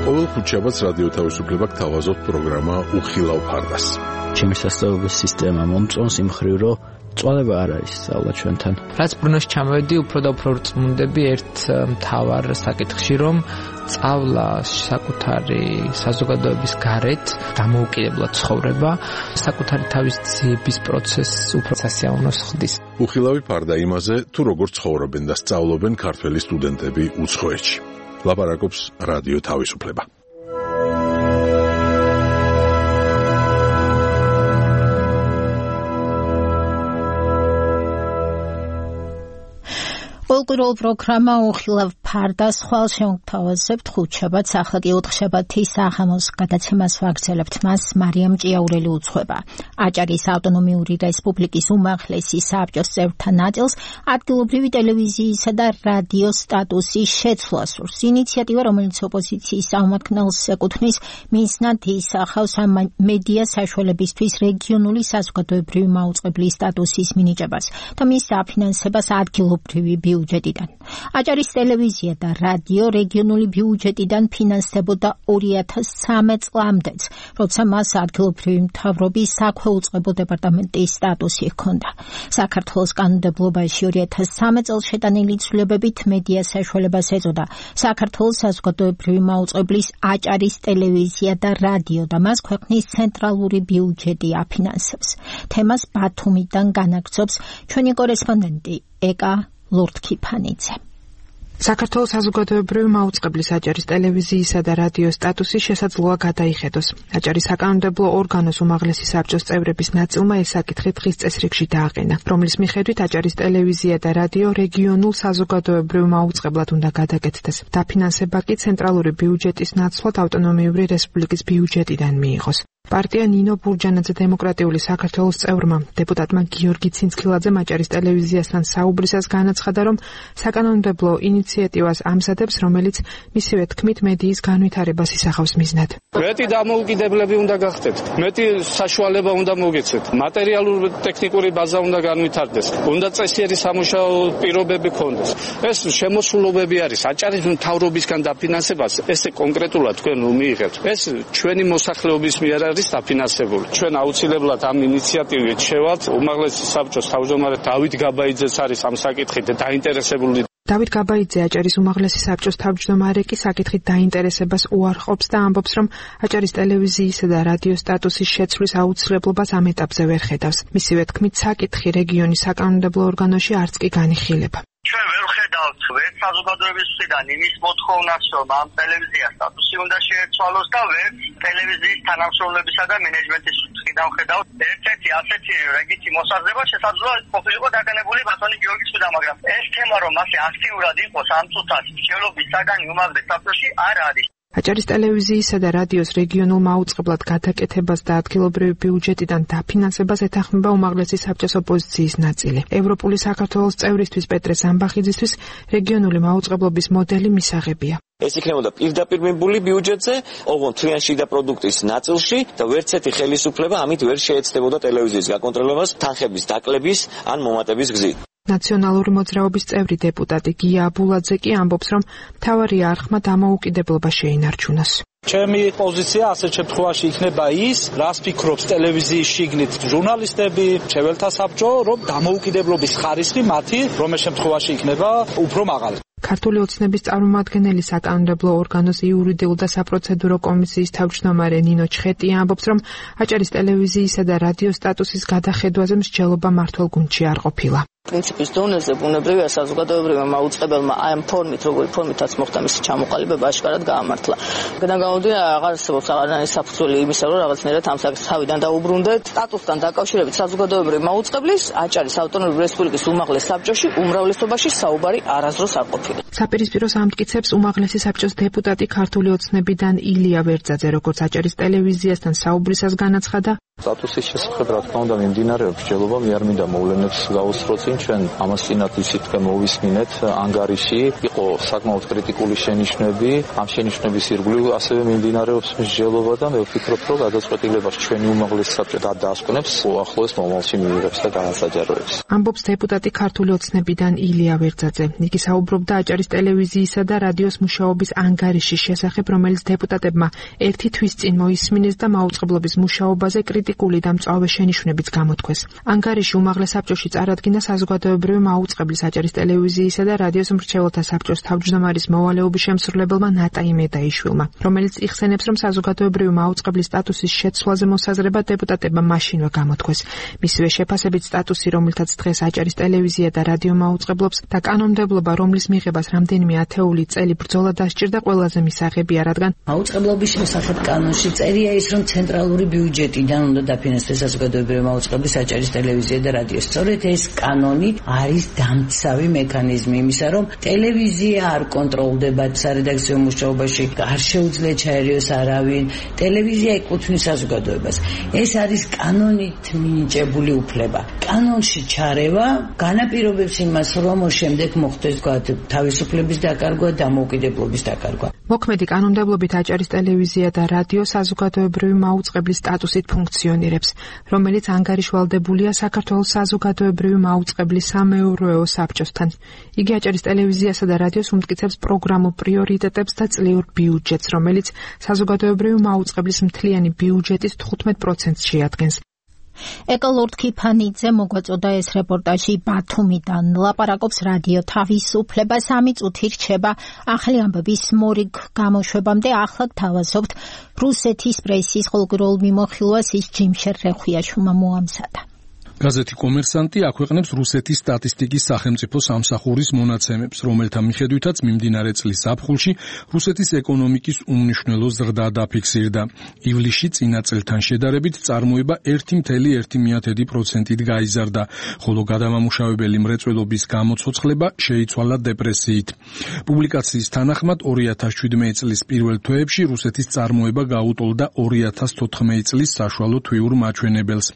ყოველ ხუთშაბათს რადიო თავისუფლება გთავაზობთ პროგრამა უხილავ ფარდას. ჩემი სასწავლებელი სისტემა მომწონს იმ მხრივ, რომ წვალება არ არის სწავლა ჩვენთან. რაც ბრუნოში ჩამოვედი, უფრო და უფრო რწმუნდები ერთ მთავარ საკითხში, რომ სწავლა საკუთარი საზოგადოების გარეთ დამოუკიდებლად ცხოვრება, საკუთარი თავის ძიების პროცესს უფრო სასიამოვნოს ხდის. უხილავი ფარდა იმაზე, თუ როგორ ცხოვრობენ და სწავლობენ ქართველი სტუდენტები უცხოეთში. ლაპარაკობს რადიო თავისუფლება. პოლკურულ პროგრამა უხილავ ფარდას ხვალ შევთავაზებთ ხუთშაბათს, ახლა კი ოთხშაბათის საღამოს გადაცემას ვაგრძელებთ. მას მარიამ ჭიაურელი უძღვება. აჭარის ავტონომიური რესპუბლიკის უმაღლესი საბჭოს წევრთა ნაწილს ადგილობრივი ტელევიზიისა და რადიოს სტატუსის შეცვლას სურს. ინიციატივა, რომელიც ოპოზიციის აღმართნელს ეკუთვნის, მიზნად ისახავს ამ მედია საშუალებისთვის რეგიონული საზოგადოებრივი მაუწყებლის სტატუსის მინიჭებას და მის დაფინანსებას ადგილობრივი ბიუჯეტიდან. აჭარის ტელევიზია და რადიო რეგიონული ბიუჯეტიდან ფინანსდებოდა ორი ათას ცხრამეტ წლამდეც, როცა მას ადგილობრივი მთავრობის საქვეუწყებო დეპარტამენტის სტატუსი ჰქონდა. საქართველოს კანონმდებლობაში ორი ათას ცხრამეტ წელს შეტანილი ცვლილებებით მედია საშუალებას ეწოდა საქართველოს საზოგადოებრივი მაუწყებლის აჭარის ტელევიზია და რადიო და მას ქვეყნის ცენტრალური ბიუჯეტი აფინანსებს. თემას ბათუმიდან განაგრძობს ჩვენი კორესპონდენტი ეკა ლორდქიფანიძე. საქართველოს საზოგადოებრივი მაუწყებლის აჭარის ტელევიზიისა და რადიოს სტატუსი შესაძლოა გადაიხედოს. აჭარის საკანონმდებლო ორგანოს უმაღლესი საბჭოს წევრების ნაწილმა ეს საკითხი დღის წესრიგში დააყენა, რომლის მიხედვით აჭარის ტელევიზია და რადიო რეგიონულ საზოგადოებრივ მაუწყებლად უნდა გადაკეთდეს. დაფინანსება კი ცენტრალური ბიუჯეტის ნაცვლად ავტონომიური რესპუბლიკის ბიუჯეტიდან მიიღოს. პარტია ნინო ბურჯანაძე დემოკრატიული საქართველოს წევრმა, დეპუტატმა გიორგი ცინცქილაძემ აჭარის ტელევიზიასთან საუბრისას განაცხადა, რომ საკანონმდებლო ინიციატივას ამზადებს, რომელიც მისივე თქმით მედიის განვითარებას ისახავს მიზნად. მეტი დამოუკიდებლები უნდა გახდეთ, მეტი საშუალება უნდა მოგეცეთ, მატერიალური ტექნიკური ბაზა უნდა განვითარდეს, უნდა წესიერი სამუშაო პირობები ქონდეს. ეს შემოსულობები არის აჭარის მთავრობისგან დაფინანსებას, ესე კონკრეტულად თქვენ რომ მიიღებთ. ეს ჩვენი მოსახლეობის მიერ არის დაფინანსებული. ჩვენ აუცილებლად ამ ინიციატივით შევალთ. უმაღლესი საბჭოს თავმჯდომარე დავით გაბაიძეც არის ამ საკითხით დაინტერესებული. დავით გაბაიძე აჭარის უმაღლესი საბჭოს თავმჯდომარე კი საკითხით დაინტერესებას უარყოფს და ამბობს, რომ აჭარის ტელევიზიისა და რადიოს სტატუსის შეცვლის აუცილებლობას ამ ეტაპზე ვერ ხედავს. მისივე თქმით, საკითხი რეგიონის საკანონმდებლო ორგანოში არც კი განიხილება. ჩვენ ვერ ხედავთ ვერ საზოგადოების მხრიდან იმის მოთხოვნას, რომ ამ ტელევიზიას სტატუსი უნდა შეეცვალოს და ვერ ტელევიზიის თანამშრომლებისა და მენეჯმენტის მხრიდან ხედავთ ერთ-ერთი ასეთი რეგიტი მოსაზრება შესაძლოა ყოფილიყო დაკანებული ბატონი გიორგი ცუდა, მაგრამ ეს თემა რომ მასე აქტიურად იყოს ამ წუთას მშენობის საგანი უმაღლეს საბჭოში არ არის. აჭარის ტელევიზიისა და რადიოს რეგიონულ მაუწყებლად გადაკეთებას და ადგილობრივი ბიუჯეტიდან დაფინანსებას ეთანხმება უმაღლესი საბჭოს ოპოზიციის ნაწილი. ევროპული საქართველოს წევრისთვის პეტრე ზამბახიძისთვის რეგიონული მაუწყებლობის მოდელი მისაღებია. ეს იქნებოდა პირდაპირ მიმბული ბიუჯეტზე, ოღონდ თლიანი შიდა პროდუქტის ნაწილში და ვერც ერთი ხელისუფლება ამით ვერ შეეცდებოდა ტელევიზიის გაკონტროლებას თანხების დაკლების ან მომატების გზით. ნაციონალური მოძრაობის წევრი დეპუტატი გია აბულაძე კი ამბობს, რომ მთავარი არხმა დამოუკიდებლობა შეინარჩუნოს. ჩემი პოზიცია ასეთ შემთხვევაში იქნება ის, რას ფიქრობს ტელევიზიის შიგნით ჟურნალისტები, მრჩეველთა საბჭო, რომ დამოუკიდებლობის ხარისხი მათი რომელ შემთხვევაში იქნება უფრო მაღალი. ქართული ოცნების წარმომადგენელი საკანონმდებლო ორგანოს იურიდიულ და საპროცედურო კომისიის თავმჯდომარე ნინო ჩხეტია ამბობს, რომ აჭარის ტელევიზიისა და რადიოს სტატუსის გადახედვაზე მსჯელობა მართულ გუნდში არ ყოფილა. პრინციპის დონეზე ბუნებრივია საზოგადოებრივმა მაუწყებელმა აი ამ ფორმით, როგორი ფორმითაც მოხდა მისი ჩამოყალიბება აშკარად გაამართლა. გედა გამოდია აღარ არსებობს აღარანაირი საფუძველი იმისა, რომ რაღაცნაირად ამ საკითხს თავიდან დაუბრუნდეთ. სტატუსთან დაკავშირებით საზოგადოებრივი მაუწყებლის აჭარის ავტონომიური რესპუბლიკის უმაღლეს საბჭოში უმრავლესობაში საუბარი არასდროს არ ყოფილა. საპირისპიროს ამტკიცებს უმაღლესი საბჭოს დეპუტატი ქართული ოცნებიდან ილია ვერძაძე, როგორც აჭარის ტელევიზიასთან საუბრისას განაცხადა, სტატუსის შესახებ რა თქმა უნდა მიმდინარეობს ჯელობა, მე არ მინდა მოვლენებს გავუსწრო წინ, ჩვენ ამას წინათ ისეთქე მოვისმინეთ ანგარიში, იყო საკმაოდ კრიტიკული შენიშვნები, ამ შენიშვნების ირგვლივ ასევე მიმდინარეობს მსჯელობა და მე ვფიქრობ, რომ გადაწყვეტილებას ჩვენი უმაღლესი საბჭო დაასკვნებს, უახლოეს მომავალში მიიღებს და გაასაჯაროებს. ამბობს დეპუტატი ქართული ოცნებიდან ილია ვერძაძე. იგი საუბრობდა აჭარის ტელევიზიისა და რადიოს მუშაობის ანგარიშის შესახებ, რომელიც დეპუტატებმა ერთი თვის წინ მოისმინეს და მაუწყებლობის მუშაობაზე კრიტიკული და მწვავე შენიშვნებიც გამოთქვეს. ანგარიში უმაღლეს საბჭოში წარადგინა საზოგადოებრივი მაუწყებლის აჭარის ტელევიზიისა და რადიოს მრჩეველთა საბჭოს თავმჯდომარის მოვალეობის შემსრულებელმა ნატაი მედაიშვილმა, რომელიც იხსენებს, რომ საზოგადოებრივი მაუწყებლის სტატუსის შეცვლაზე მოსაზრება დეპუტატებმა მაშინვე გამოთქვეს. მისივე შეფასებით სტატუსი, რომელთაც დღეს აჭარის ტელევიზია და რადიო მაუწყებლობს და კანონმდებლობა, რომლის მიღებას რამდენიმე ათეული წელი ბრძოლა დასჭირდა, ყველაზე მისაღებია, რადგან მაუწყებლობის შესახებ კანონში წერია ის, რომ ცენტრალური ბიუჯეტიდან უნდა დაფინანსდეს საზოგადოებრივი მაუწყებლის აჭარის ტელევიზია და რადიო. სწორედ ეს კანონი არის დამცავი მექანიზმი იმისა, რომ ტელევიზია არ კონტროლდება სარედაქციო მუშაობაში, არ შეუძლია ჩაერიოს არავინ, ტელევიზია ეკუთვნის საზოგადოებას. ეს არის კანონით მინიჭებული უფლება. კანონში ჩარევა განაპირობებს იმას, რომ შემდეგ მოხდეს თავისუფლების დაკარგვა, დამოუკიდებლობის დაკარგვა. მოქმედი კანონმდებლობით აჭარის ტელევიზია და რადიო საზოგადოებრივი მაუწყებლის სტატუსით ფუნქციონირებს, რომელიც ანგარიშვალდებულია საქართველოს საზოგადოებრივი მაუწყებლის სამეურვეო საბჭოსთან. იგი აჭარის ტელევიზიასა და რადიოს უმტკიცებს პროგრამულ პრიორიტეტებს და წლიურ ბიუჯეტს, რომელიც საზოგადოებრივი მაუწყებლის მთლიანი ბიუჯეტის თხუთმეტ პროცენტს შეადგენს. ეკოლორდ ქიფანიძე მოგვაწოდა ეს რეპორტაჟი ბათუმიდან. ლაპარაკობს რადიო თავისუფლება სამი წუთი რჩება ახალი ამბების მორიგ გამოშვებამდე. ახლა გთავაზობთ რუსეთის პრესის ხოლმე მიმოხილვას ის ჯიმშერ რეხვიაჩუმა მოამზადა. გაზეთი კომერსანტი აქვეყნებს რუსეთის სტატისტიკის სახელმწიფო სამსახურის მონაცემებს, რომელთა მიხედვითაც მიმდინარე წლის ზაფხულში რუსეთის ეკონომიკის უმნიშვნელო ზრდა დაფიქსირდა. ივლისში წინა წელთან შედარებით წარმოება ერთი კoma ერთი პროცენტით გაიზარდა, ხოლო გადამამუშავებელი მრეწველობის გამოცოცხლება შეიცვალა დეპრესიით. პუბლიკაციის თანახმად ორი ათას შვიდმეტი წლის პირველ თვეებში რუსეთის წარმოება გაუტოლდა ორი ათას თოთხმეტი წლის საშუალო თვიურ მაჩვენებელს.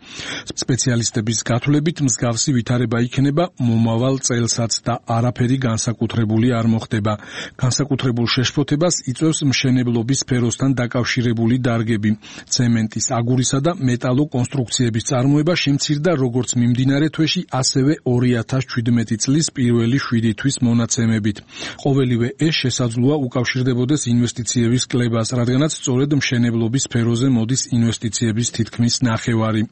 სპეციალისტები გათვლებით მსგავსი ვითარება იქნება მომავალ წელსაც და არაფერი განსაკუთრებული არ მოხდება. განსაკუთრებულ შეშფოთებას იწვევს მშენებლობის სფეროსთან დაკავშირებული დარგები. ცემენტის, აგურისა და მეტალო კონსტრუქციების წარმოება შემცირდა როგორც მიმდინარე თვეში, ასევე ორი ათას შვიდმეტი წლის პირველი შვიდი თვის მონაცემებით. ყოველივე ეს შესაძლოა უკავშირდებოდეს ინვესტიციების კლებას, რადგანაც სწორედ მშენებლობის სფეროზე მოდის ინვესტიციების თითქმის ნახევარი.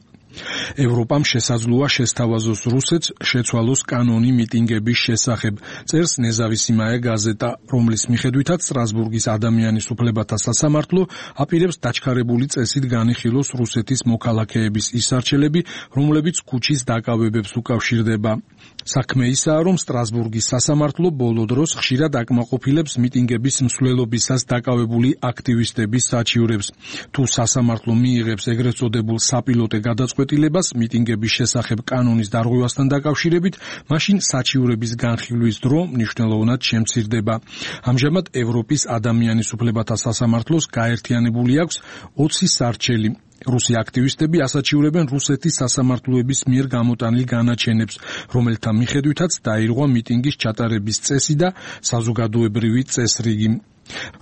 ევროპამ შესაძლოა შესთავაზოს რუსეთს შეცვალოს კანონი მიტინგების შესახებ, წერს ნეზავისიმაია გაზეტა, რომლის მიხედვითაც სტრასბურგის ადამიანის უფლებათა სასამართლო აპირებს დაჩქარებული წესით განიხილოს რუსეთის მოქალაქეების ისარჩელები, რომლებიც ქუჩის დაკავებებს უკავშირდება. საქმე ისაა, რომ სტრასბურგის სასამართლო ბოლო დროს ხშირად აკმაყოფილებს მიტინგების მსვლელობისას დაკავებული აქტივისტების საჩივრებს. თუ სასამართლო მიიღებს ეგრეთ წოდებულ საპილოტე გადაწყვეტილებას მიტინგების შესახებ კანონის დარღვევასთან დაკავშირებით, მაშინ საჩივრების განხილვის დრო მნიშვნელოვნად შემცირდება. ამჟამად ევროპის ადამიანის უფლებათა სასამართლოს გაერთიანებული აქვს ოცი სარჩელი. რუსი აქტივისტები ასაჩივრებენ რუსეთის სასამართლოების მიერ გამოტანილ განაჩენებს, რომელთა მიხედვითაც დაირღვა მიტინგის ჩატარების წესი და საზოგადოებრივი წესრიგი.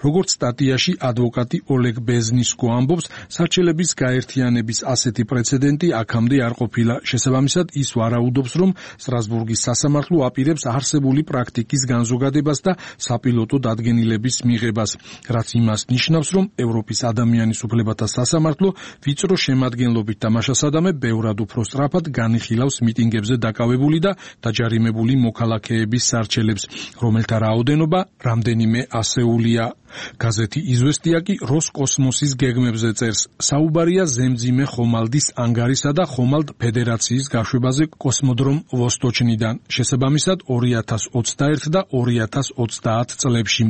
როგორც სტატიაში ადვოკატი ოლეგ ბეზნისკო ამბობს, სარჩელების გაერთიანების ასეთი პრეცედენტი აქამდე არ ყოფილა. შესაბამისად, ის ვარაუდობს, რომ სტრასბურგის სასამართლო აპირებს არსებული პრაქტიკის განზოგადებას და საპილოტო დადგენილების მიღებას, რაც იმას ნიშნავს, რომ ევროპის ადამიანის უფლებათა სასამართლო ვიწრო შემადგენლობით თამაშასადამე ბევრად უფრო სწრაფად განიხილავს მიტინგებზე დაკავებული და დაჯარიმებული მოქალაქეების სარჩელებს, რომელთა რაოდენობა რამდენიმე ასეული. გაზეთი იზვესტია კი როსკოსმოსის გეგმებზე წერს. საუბარია ზემძიმე ხომალდის ანგარისა და ხომალდ ფედერაციის გაშვებაზე კოსმოდრომ ვოსტოჩნიდან, შესაბამისად ორი ათას ოცდაერთი და ორი ათას ოცდაათი წლებში.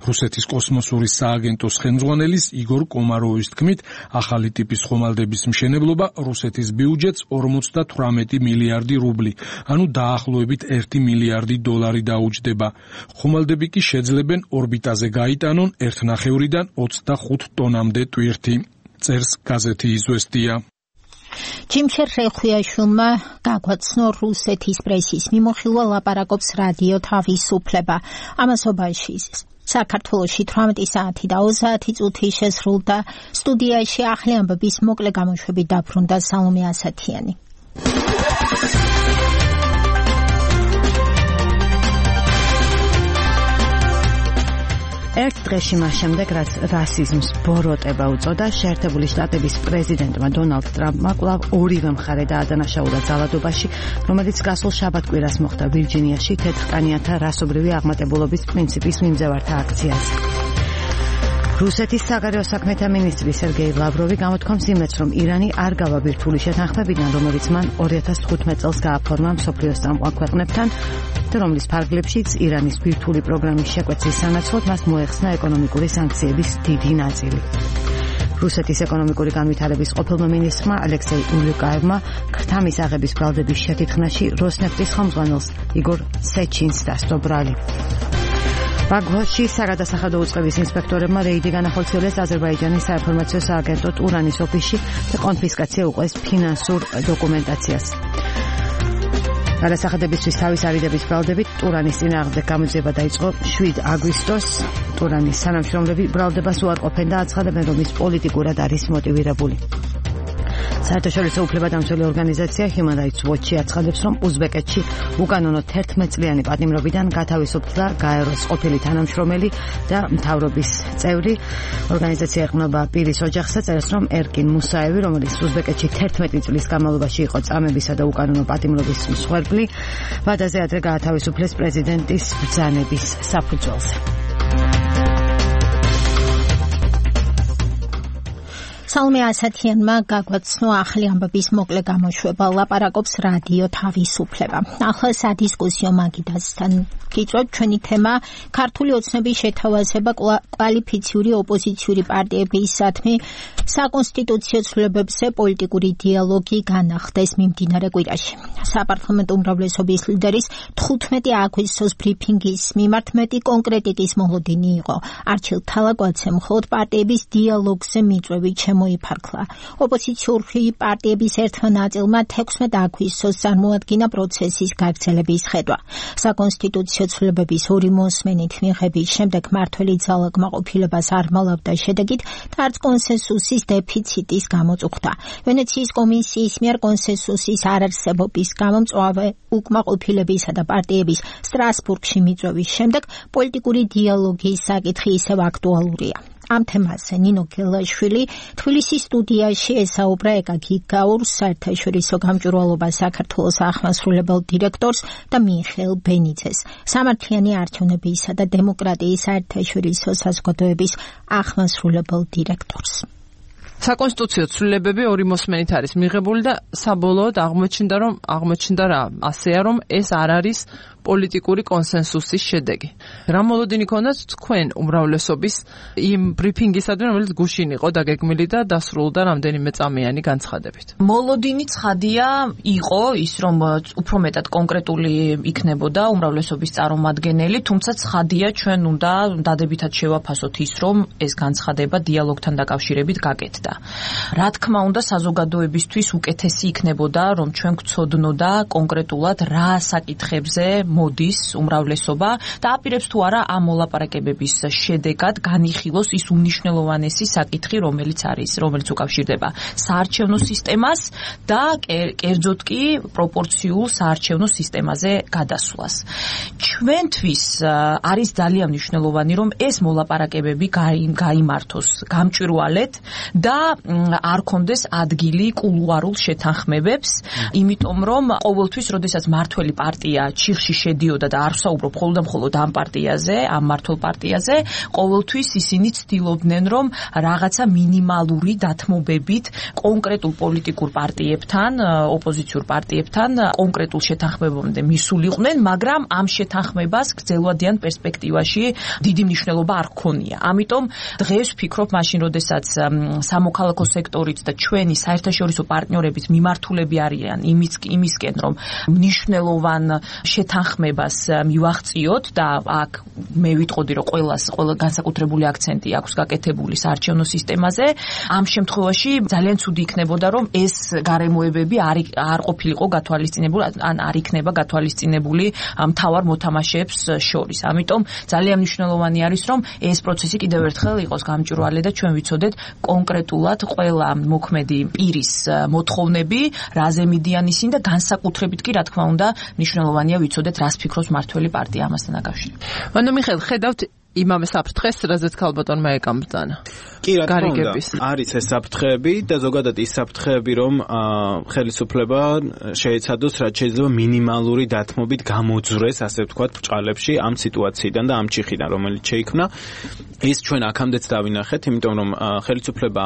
რუსეთის კოსმოსური სააგენტოს ხელმძღვანელის იგორ კომაროვის თქმით, ახალი ტიპის ხომალდების მშენებლობა რუსეთის ბიუჯეტს ორმოცდათვრამეტი მილიარდი რუბლი, ანუ დაახლოებით ერთი მილიარდი დოლარი დაუჯდება. ხომალდები კი შეძლებენ ორბიტაზე გაიტანონ ერთნახევრიდან ოცდახუთ ტონამდე ტვირთი, წერს გაზეთი იზვესტია. ჯიმშერ რეხუიაშვილმა გაგვაცნო რუსეთის პრესის მიმოხილვა ლაპარაკობს რადიო თავისუფლება. ამასობაში საქართველოში თვრამეტი საათი და ოცდაათი წუთი შესრულდა. სტუდიაში ახალი ამბების მოკლე გამოშვებით დაბრუნდა სალომე ასათიანი. ერთ დღეში მას შემდეგ, რაც რასიზმს ბოროტება უწოდა, შეერთებული შტატების პრეზიდენტმა დონალდ ტრამპმა კვლავ ორივე მხარე დაადანაშაულა ძალადობაში, რომელიც გასულ შაბათ-კვირას მოხდა ვირჯინიაში თეთრკანიანთა რასობრივი აღმატებულობის პრინციპის მიმდევართა აქციაზე. რუსეთის საგარეო საქმეთა მინისტრი სერგეი ლავროვი გამოთქვამს იმედს, რომ ირანი არ გავა ბირთვული შეთანხმებიდან, რომელიც მან ორი ათას თხუთმეტ წელს გააფორმა მსოფლიოს წამყვან ქვეყნებთან და რომლის ფარგლებშიც ირანის ბირთვული პროგრამის შეკვეცის სანაცვლოდ მას მოეხსნა ეკონომიკური სანქციების დიდი ნაწილი. რუსეთის ეკონომიკური განვითარების ყოფილმა მინისტრმა ალექსეი ულიკაევმა ქრთა მისაღების ბრალდების შეთითხნაში როსნეფტის ხელმძღვანელს იგორ სეჩინს დასდო ბრალი. ბაქოში საგადასახადო უწყების ინსპექტორებმა რეიდი განახორციელეს აზერბაიჯანის საინფორმაციო სააგენტო ტურანის ოფისში და კონფისკაცია უყეს ფინანსურ დოკუმენტაციას. გადასახადებისთვის თავის არიდების ბრალდებით ტურანის წინააღმდეგ გამოძიება დაიწყო შვიდ აგვისტოს. ტურანის თანამშრომლები ბრალდებას უარყოფენ და აცხადებენ, რომ ის პოლიტიკურად არის მოტივირებული. საერთაშორისო უფლებადამცველი ორგანიზაცია Human Rights Watch აცხადებს, რომ უზბეკეთში უკანონო თერთმეტ წლიანი პატიმრობიდან გათავისუფლდა გაეროს ყოფილი თანამშრომელი და მთავრობის წევრი. ორგანიზაცია ეყრდნობა პირის ოჯახს და წერს, რომ ერკინ მუსაევი, რომელიც უზბეკეთში თერთმეტი წლის განმავლობაში იყო წამებისა და უკანონო პატიმრობის მსხვერპლი, ვადაზე ადრე გაათავისუფლეს პრეზიდენტის ბრძანების საფუძველზე. სალომე ასათიანმა გაგვაცნო ახალი ამბების მოკლე გამოშვება, ლაპარაკობს რადიო თავისუფლება. ახლა სადისკუსიო მაგიდასთან გიწევთ ჩვენი თემა ქართული ოცნების შეთავაზება კვალიფიციური ოპოზიციური პარტიებისადმი საკონსტიტუციო ცვლილებებზე პოლიტიკური დიალოგი განახდეს მიმდინარე კვირაში. საპარლამენტო უმრავლესობის ლიდერის თხუთმეტი აგვისტოს ბრიფინგის მიმართ მეტი კონკრეტიკის მოლოდინი იყო. არჩილ თალაკვაცემ მხოლოდ პარტიების დიალოგზე მიწვევით მოიფარქლა. ოპოზიციური პარტიების ერთმა ნაწილმა თექვსმეტ აგვისტოს წარმოადგინა პროცესის გაგრძელების ხედვა. საკონსტიტუციო ცვლილებების ორი მოსმენით მიღების შემდეგ მართველი ძალა კმაყოფილებას არ მალავდა შედეგით და არც კონსენსუსის დეფიციტის გამოწუხდა. ვენეციის კომისიის მიერ კონსენსუსის არარსებობის გამო მწვავე უკმაყოფილებისა და პარტიების სტრასბურგში მიწვევის შემდეგ პოლიტიკური დიალოგის საკითხი ისევ აქტუალურია. ამ თემაზე ნინო გელაშვილი თბილისის სტუდიაში ესაუბრა ეკაკი გაურს საერთაშორისო გამჭვირვალობა საქართველოს აღმასრულებელ დირექტორს და მიხეილ ბენიძეს სამართლიანი არჩევნებისა და დემოკრატიის საერთაშორისო საზოგადოების აღმასრულებელ დირექტორს. საკონსტიტუციო ცვლილებები ორი მოსმენით არის მიღებული და საბოლოოდ აღმოჩნდა რომ აღმოჩნდა რა ასეა რომ ეს არ არის პოლიტიკური კონსენსუსის შედეგი. რა მოლოდინი ქონდათ თქვენ უმრავლესობის იმ ბრიფინგისადმი, რომელიც გუშინ იყო დაგეგმილი და დასრულდა რამდენიმე წამიანი განცხადებით. მოლოდინი ცხადია იყო ის რომ უფრო მეტად კონკრეტული იქნებოდა უმრავლესობის წარმომადგენელი, თუმცა ცხადია ჩვენ უნდა დადებითად შევაფასოთ ის რომ ეს განცხადება დიალოგთან დაკავშირებით გაკეთდა. რა თქმა უნდა საზოგადოებისთვის უკეთესი იქნებოდა რომ ჩვენ გვცოდნოდა კონკრეტულად რა საკითხებზე მოდის უმრავლესობა და აპირებს თუ არა ამ მოლაპარაკებების შედეგად განიხილოს ის უნიშნელოვანესი საკითხი, რომელიც არის, რომელიც უკავშირდება საარჩევნო სისტემას და კერძოდ კი პროპორციულ საარჩევნო სისტემაზე გადასვლას. ჩვენთვის არის ძალიან მნიშვნელოვანი, რომ ეს მოლაპარაკებები გაიმართოს გამჭვირვალედ და არ კონდეს ადგილი კულუარულ შეთანხმებებს, იმიტომ რომ ყოველთვის, როდესაც მართველი პარტია ჩიხში შედიოდა და არ ვსაუბრობ მხოლოდ და მხოლოდ ამ პარტიაზე, ამ მართულ პარტიაზე, ყოველთვის ისინი ცდილობდნენ, რომ რაღაცა მინიმალური დათმობებით კონკრეტულ პოლიტიკურ პარტიებთან, ოპოზიციურ პარტიებთან კონკრეტულ შეთანხმებამდე მისულიყვნენ, მაგრამ ამ შეთანხმებას გრძელვადიან პერსპექტივაში დიდი მნიშვნელობა არ ჰქონია. ამიტომ დღეს ვფიქრობ, მაშინ როდესაც სამოქალაქო სექტორით და ჩვენი საერთაშორისო პარტნიორებით მიმართულები არიან იმისკენ, რომ მნიშვნელოვან შეთანხმებას შეთანხმებას მივაღწიოთ და აქ მე ვიტყოდი რომ ყველას ყველა განსაკუთრებული აქცენტი აქვს გაკეთებული საარჩევნო სისტემაზე. ამ შემთხვევაში ძალიან ცუდი იქნებოდა რომ ეს გარემოებები არ არ ყოფილიყო გათვალისწინებული ან არ იქნება გათვალისწინებული მთავარ მოთამაშეებს შორის. ამიტომ ძალიან მნიშვნელოვანი არის რომ ეს პროცესი კიდევ ერთხელ იყოს გამჭვირვალე და ჩვენ ვიცოდეთ კონკრეტულად ყველა მოქმედი პირის მოთხოვნები, რაზე მიდიან ისინი და განსაკუთრებით კი რა თქმა უნდა მნიშვნელოვანია ვიცოდეთ რას ფიქრობს მართველი პარტია ამასთან დაკავშირებით. ანუ მიხეილ ხედავთ იმავე საფრთხეს, რაზეც ქალბატონმა ეკამბრძანა. კი, რა თქმა უნდა, არის ეს საფრთხეები და ზოგადად ის საფრთხეები, რომ ხელისუფლება შეეცადოს რაც შეიძლება მინიმალური დათმობით გამოძვრეს, ასე ვთქვათ, ბრჭყალებში ამ სიტუაციიდან და ამ ჩიხიდან, რომელიც შეიქმნა. ის ჩვენ აქამდეც დავინახეთ, იმიტომ რომ ხელისუფლება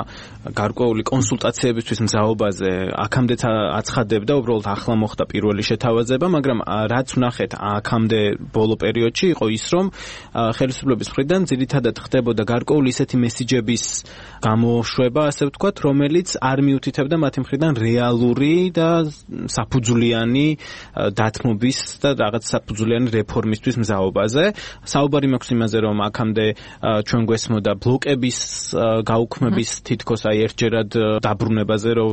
გარკვეული კონსულტაციებისთვის მზაობაზე აქამდეც აცხადებდა, უბრალოდ ახლა მოხდა პირველი შეთავაზება, მაგრამ რაც ვნახეთ აქამდე ბოლო პერიოდში იყო ის, რომ ხელისუფლების მხრიდან ძირითადად ხდებოდა გარკვეული ისეთი მესიჯების გამოშვება, ასე ვთქვათ, რომელიც არ მიუთითებდა მათი მხრიდან რეალური და საფუძვლიანი დათმობის და რაღაც საფუძვლიანი რეფორმისთვის მზაობაზე. საუბარი მაქვს იმაზე, რომ აქამდე ჩვენ გვესმოდა ბლოკების გაუქმების თითქოს აი ერთჯერად დაბრუნებაზე, რომ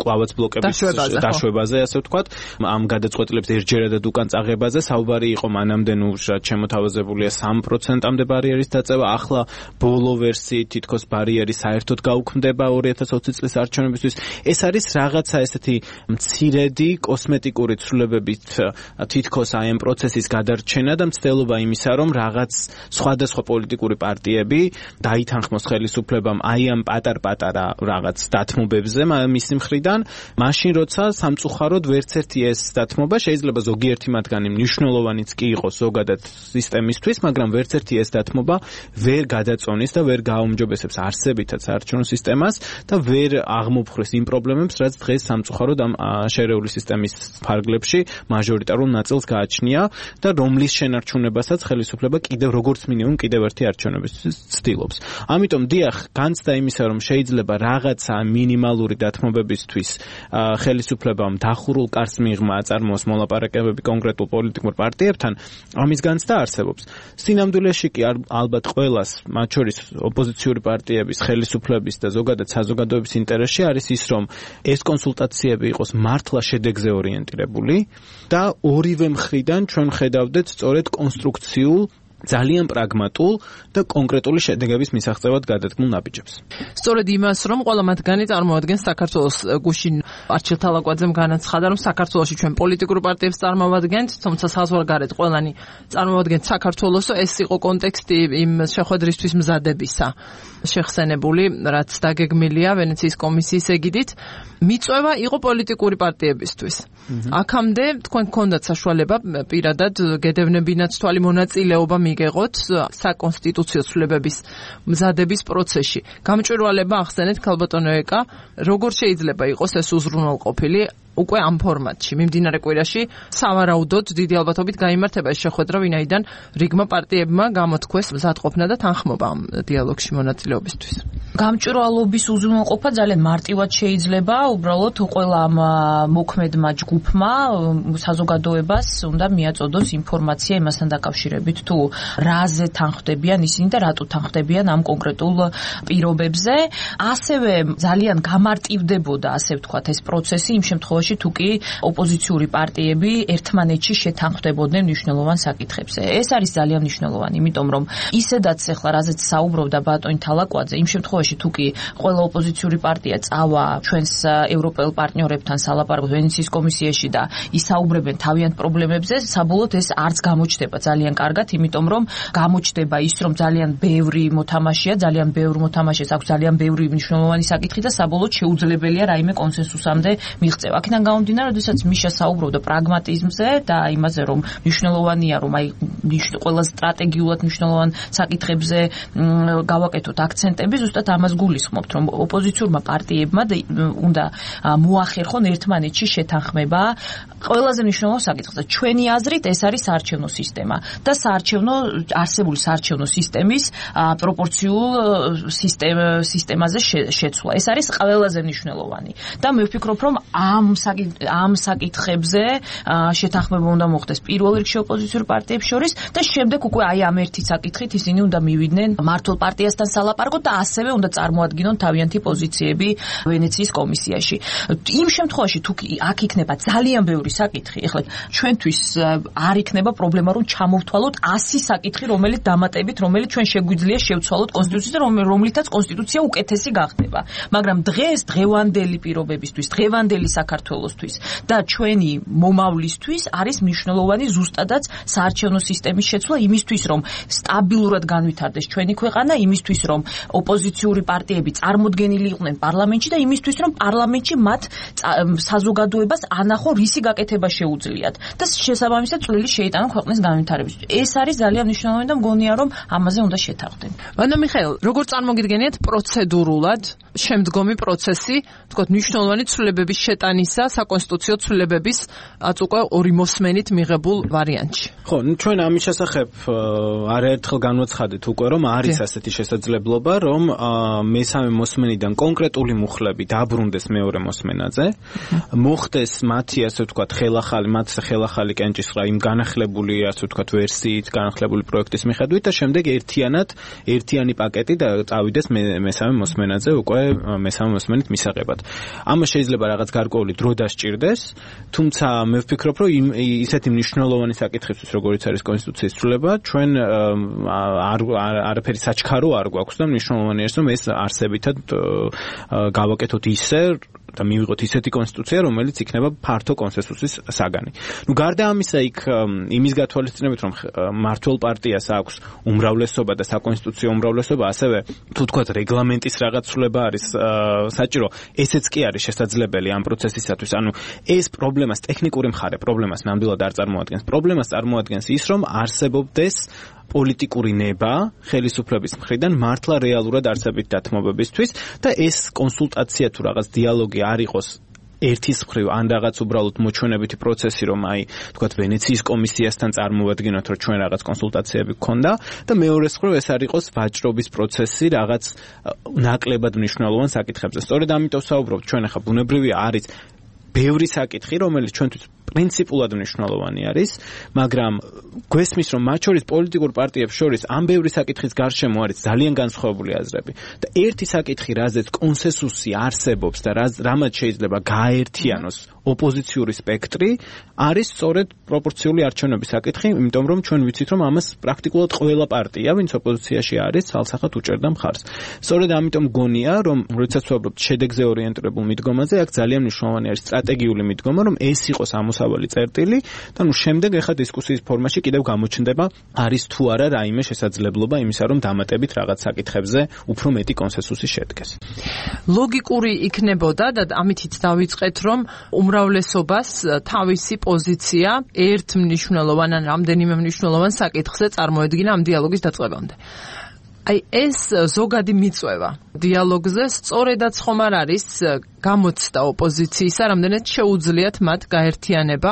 კლავაც ბლოკების დაშვებაზე, ასე ვთქვათ, ამ გადაწყვეტილებს ერთჯერადად უკან წაღებაზე. საუბარი იყო მანამდე ნუ შემოთავაზებულია სამ პროცენტამდე ბარიერის დაწევა, ახლა ბოლო ვერსიით თითქოს ბარიერი საერთოდ გაუქმდება ორი ათას ოცი წლის არჩევნებისთვის. ეს არის რაღაცა ესეთი მცირედი კოსმეტიკური ცვლილებებით თითქოს აი ამ პროცესის გადარჩენა და მცდელობა იმისა, რომ რაღაც სხვადასხვა პოლიტიკური პარტიები დაითანხმოს ხელისუფლებამ აი ამ პატარ-პატარა რაღაც დათმობებზე მისი მხრიდან, მაშინ როცა სამწუხაროდ ვერც ერთი ეს დათმობა შეიძლება ზოგიერთი მათგანი მნიშვნელოვანიც კი იყოს ზოგადად სისტემისთვის, მაგრამ ვერც ერთი ეს დათმობა ვერ გადაწონის და ვერ გააუმჯობესებს არსებითად საარჩევნო სისტემას და ვერ აღმოფხვრეს იმ პრობლემებს, რაც დღეს სამწუხაროდ ამ შერეული სისტემის ფარგლებში მაჟორიტარულ ნაწილს გააჩნია და რომლის შენარჩუნებასაც ხელისუფლება კიდევ როგორც მინიმუმ კიდევ ერთი არჩევნებისთვის ცდილობს. ამიტომ დიახ, განცდა იმისა, რომ შეიძლება რაღაცა მინიმალური დათმობებისთვის ხელისუფლებამ დახურულ კარს მიღმა აწარმოოს მოლაპარაკებები კონკრეტულ პოლიტიკურ პარტიებთან, ამის განცდა არსებობს. სინამდვილეში კი ალბათ ყველას, მათ შორის ოპოზიციური პარტიების, ხელისუფლების და ზოგადად საზოგადოების ინტერესში არის ის, რომ ეს კონსულტაციები იყოს მართლა შედეგზე ორიენტირებული და ორივე მხრიდან ჩვენ ხედავდეთ სწორედ კონსტრუქციულ ძალიან პრაგმატულ და კონკრეტული შედეგების მისაღწევად გადადგმულ ნაბიჯებს. სწორედ იმას, რომ ყველა მათგანი წარმოადგენს საქართველოს გუშინ არჩილ თალაკვაძემ განაცხადა, რომ საქართველოში ჩვენ პოლიტიკურ პარტიებს წარმოვადგენთ, თუმცა საზღვარგარეთ ყველანი წარმოვადგენთ საქართველოსო, ეს იყო კონტექსტი იმ შეხვედრისთვის მზადებისა. შეხსენებული, რაც დაგეგმილია ვენეციის კომისიის ეგიდით, მიწვევა იყო პოლიტიკური პარტიებისთვის. აქამდე თქვენ გქონდათ საშუალება პირადად გედევნებინათ თვალი მონაწილეობა მიგეღოთ საკონსტიტუციო ცვლილებების მზადების პროცესში. გამჭვირვალება ახსენეთ ქალბატონო ეკა, როგორ შეიძლება იყოს ეს უზრუნველყოფილი უკვე ამ ფორმატში. მიმდინარე კვირაში სავარაუდოდ დიდი ალბათობით გაიმართება ეს შეხვედრა, ვინაიდან რიგმა პარტიებმა გამოთქვეს მზადყოფნა და თანხმობა ამ დიალოგში მონაწილეობისთვის. გამჭვირვალობის უზრუნველყოფა ძალიან მარტივად შეიძლება, უბრალოდ ყველა ამ მოქმედმა ჯგუფმა საზოგადოებას უნდა მიაწოდოს ინფორმაცია იმასთან დაკავშირებით, თუ რაზე თანხმდებიან ისინი და რატო თანხმდებიან ამ კონკრეტულ პირობებზე. ასევე ძალიან გამარტივდებოდა, ასე ვთქვათ, ეს პროცესი იმ შემთხვევაში თუ კი ოპოზიციური პარტიები ერთმანეთში შეთანხმდებოდნენ მნიშვნელოვან საკითხებზე. ეს არის ძალიან მნიშვნელოვანი, იმიტომ რომ ისედაც ახლა რაზეც საუბრობდა ბატონი თალაკვაძე, იმ შემთხვევაში თუ კი ყველა ოპოზიციური პარტია წავა ჩვენს ევროპელ პარტნიორებთან სალაპარაკოდ ვენეციის კომისიაში და ისაუბრებენ თავიანთ პრობლემებზე, საბოლოოდ ეს არც გამოჩნდება ძალიან კარგად, იმიტომ რომ გამოჩნდება ის, რომ ძალიან ბევრი მოთამაშეა, ძალიან ბევრ მოთამაშეს აქვს ძალიან ბევრი მნიშვნელოვანი საკითხი და საბოლოოდ შეუძლებელია რაიმე კონსენსუსამდე მიღწევა. აქედან გამომდინარე, როდესაც მიშა საუბრობდა პრაგმატიზმზე და იმაზე, რომ მნიშვნელოვანია, რომ აი ყველა სტრატეგიულად მნიშვნელოვან საკითხებზე გავაკეთოთ აქცენტები, ზუსტად ამას გულისხმობთ, რომ ოპოზიციურმა პარტიებმა უნდა მოახერხონ ერთმანეთში შეთანხმება ყველაზე მნიშვნელოვან საკითხზე. ჩვენი აზრით ეს არის საარჩევნო სისტემა და საარჩევნო არსებული საარჩევნო სისტემის პროპორციულ სისტემაზე შეცვლა. ეს არის ყველაზე მნიშვნელოვანი და მე ვფიქრობ, რომ ამ ამ საკითხებზე შეთანხმება უნდა მოხდეს პირველ რიგში ოპოზიციურ პარტიებს შორის და შემდეგ უკვე აი ამ ერთი საკითხით ისინი უნდა მივიდნენ მართლ პარტიასთან სალაპარაკოდ და ასევე უნდა წარმოადგინონ თავიანთი პოზიციები ვენეციის კომისიაში. იმ შემთხვევაში თუ აქ იქნება ძალიან ბევრი საკითხი, ეხლა ჩვენთვის არ იქნება პრობლემა რომ ჩამოვთვალოთ ასი საკითხი, რომელიც დამატებით, რომელიც ჩვენ შეგვიძლია შევცვალოთ კონსტიტუციაზე და რომლითაც კონსტიტუცია უკეთესი გახდება. მაგრამ დღეს დღევანდელი პირობებისთვის, დღევანდელი საქართველოსთვის და ჩვენი მომავლისთვის არის მნიშვნელოვანი ზუსტადაც საარჩევნო სისტემის შეცვლა იმისთვის, რომ სტაბილურად განვითარდეს ჩვენი ქვეყანა, იმისთვის, რომ ოპოზიციური პარტიები წარმოდგენილი იყვნენ პარლამენტში და იმისთვის, რომ პარლამენტში მათ საზოგადოებას ანახო რისი გაკეთება შეუძლიათ და შესაბამისად წვლილი შეიტანონ ქვეყნის განვითარებაში. ეს არის ძალიან მნიშვნელოვანი და მგონია, რომ ამაზე უნდა შეთანხმდნენ. ვანო მიხეილ, როგორ წარმოგიდგენიათ პროცედურულად შემდგომი პროცესი, თქვათ, მნიშვნელოვანი ცვლილებების შეტანისა საკონსტიტუციო ცვლილებების აც უკვე ორი მოსმენით მიღებულ ვარიანტში? ხო, ჩვენ ამის შესახებ არაერთხელ განვაცხადეთ უკვე, რომ არის ასეთი შესაძლებლობა, რომ მესამე მოსმენიდან კონკრეტული მუხლები დაბრუნდეს მეორე მოსმენაზე, მოხდეს მათი, ასე ვთქვათ, ხელახალი, მათ ხელახალი კენჭისყრა იმ განახლებული, ასე ვთქვათ, ვერსიით, განახლებული პროექტის მიხედვით და შემდეგ ერთიანად, ერთიანი პაკეტი და წავიდეს მესამე მოსმენაზე უკვე მესამე მოსმენით მისაღებად. ამას შეიძლება რაღაც გარკვეული დრო დასჭირდეს, თუმცა მე ვფიქრობ, რომ ისეთი მნიშვნელოვანი საკითხისთვის, როგორიც არის კონსტიტუციის ცვლილება, ჩვენ არაფერი საჩქარო არ გვაქვს და მნიშვნელოვანია, რომ ეს არსებითად გავაკეთოთ ისე და მივიღოთ ისეთი კონსტიტუცია, რომელიც იქნება ფართო კონსენსუსის საგანი. ნუ გარდა ამისა, იქ იმის გათვალისწინებით, რომ მართლ პარტიას აქვს უმრავლესობა და საკონსტიტუციო უმრავლესობა, ასევე თუ თქვათ რეგლამენტის რაღაც ცვლილება არის საჭირო, ესეც კი არის შესაძლებელი ამ პროცესისათვის. ანუ ეს პრობლემას, ტექნიკური მხარე პრობლემას ნამდვილად არ წარმოადგენს. პრობლემას წარმოადგენს ის, რომ არსებობდეს პოლიტიკური ნება ხელისუფლების მხრიდან მართლა რეალურად არსებით დათმობებისთვის და ეს კონსულტაცია თუ რაღაც დიალოგი არ იყოს ერთის მხრივ ან რაღაც უბრალოდ მოჩვენებითი პროცესი, რომ აი თქვათ ვენეციის კომისიასთან წარმოვადგინოთ, რომ ჩვენ რაღაც კონსულტაციები გქონდა და მეორეს მხრივ ეს არ იყოს ვაჭრობის პროცესი რაღაც ნაკლებად მნიშვნელოვან საკითხებზე. სწორედ ამიტომ საუბრობთ, ჩვენ ახლა ბუნებრივია არის ბევრი საკითხი, რომელიც ჩვენთვის პრინციპულად მნიშვნელოვანი არის, მაგრამ გვესმის, რომ მათ შორის პოლიტიკურ პარტიებს შორის ამ ბევრი საკითხის გარშემო არის ძალიან განსხვავებული აზრები და ერთი საკითხი, რაზეც კონსენსუსი არსებობს და რამაც შეიძლება გააერთიანოს ოპოზიციური სპექტრი, არის სწორედ პროპორციული არჩევნების საკითხი, იმიტომ რომ ჩვენ ვიცით, რომ ამას პრაქტიკულად ყველა პარტია, ვინც ოპოზიციაში არის, ცალსახად უჭერდა მხარს. სწორედ ამიტომ გონია, რომ როდესაც ვუბრალოდ შედეგზე ორიენტირებულ მიდგომაზე, აქ ძალიან მნიშვნელოვანი არის სტრატეგიული მიდგომა, რომ ეს იყოს ამოსავალი წერტილი და ნუ შემდეგ ახლა დისკუსიის ფორმაში კიდევ გამოჩნდება, არის თუ არა რაიმე შესაძლებლობა იმისა, რომ დამატებით რაღაც საკითხებზე უფრო მეტი კონსენსუსი შედგეს. ლოგიკური იქნებოდა და ამითიც დავიწყეთ, რომ უმრავლესობას თავისი პოზიცია ერთ მნიშვნელოვან ან რამდენიმე მნიშვნელოვან საკითხზე წარმოედგინა ამ დიალოგის დაწყებამდე. აი ეს ზოგადი მიწვევა დიალოგზე სწორედაც ხომ არ არის გამოცდა ოპოზიციისა, რამდენად შეუძლიათ მათ გაერთიანება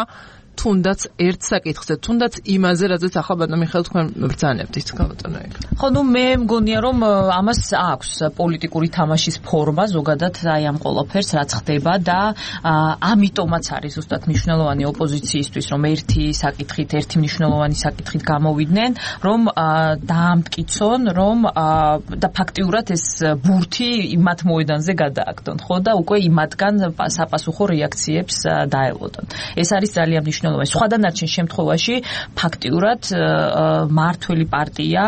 თუნდაც ერთ საკითხზე, თუნდაც იმაზე, რაზეც ახლა ბატონო მიხეილ თქვენ ბრძანებთ ის გამოტანაი. ხო, ნუ მე მგონია, რომ ამას აქვს პოლიტიკური თამაშის ფორმა ზოგადად აი ამ ყველაფერს რაც ხდება და ამიტომაც არის ზუსტად მნიშვნელოვანი ოპოზიციისთვის, რომ ერთი საკითხით, ერთი მნიშვნელოვანი საკითხით გამოვიდნენ, რომ დაამტკიცონ, რომ და ფაქტიურად ეს ბურთი იმათ მოედანზე გადააგდონ, ხო და უკვე იმათგან საპასუხო რეაქციებს დაელოდონ. ეს არის ძალიან მნიშვნელოვანი. სხვა დანარჩენ შემთხვევაში ფაქტიურად მართველი პარტია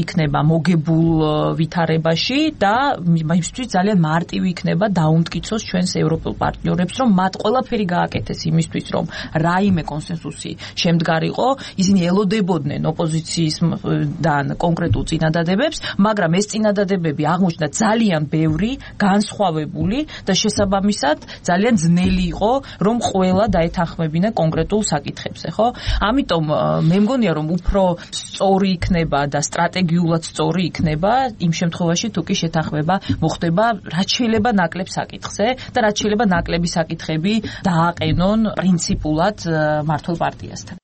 იქნება მოგებულ ვითარებაში და იმისთვის ძალიან მარტივი იქნება დაუმტკიცოს ჩვენს ევროპულ პარტნიორებს, რომ მათ ყველაფერი გააკეთეს იმისთვის, რომ რაიმე კონსენსუსი შემდგარიყო, ისინი ელოდებოდნენ ოპოზიციისგან კონკრეტულ წინადადებებს, მაგრამ ეს წინადადებები აღმოჩნდა ძალიან ბევრი, განსხვავებული და შესაბამისად ძალიან ძნელი იყო, რომ ყველა დაეთანხმებინა კონკრეტულ საკითხებზე, ხო? ამიტომ მე მგონია, რომ უფრო სწორი იქნება და სტრატეგიულად სწორი იქნება იმ შემთხვევაში, თუ კი შეთანხმება მოხდება რაც შეიძლება ნაკლებ საკითხზე და რაც შეიძლება ნაკლები საკითხები დააყენონ პრინციპულად მართლ პარტიასთან.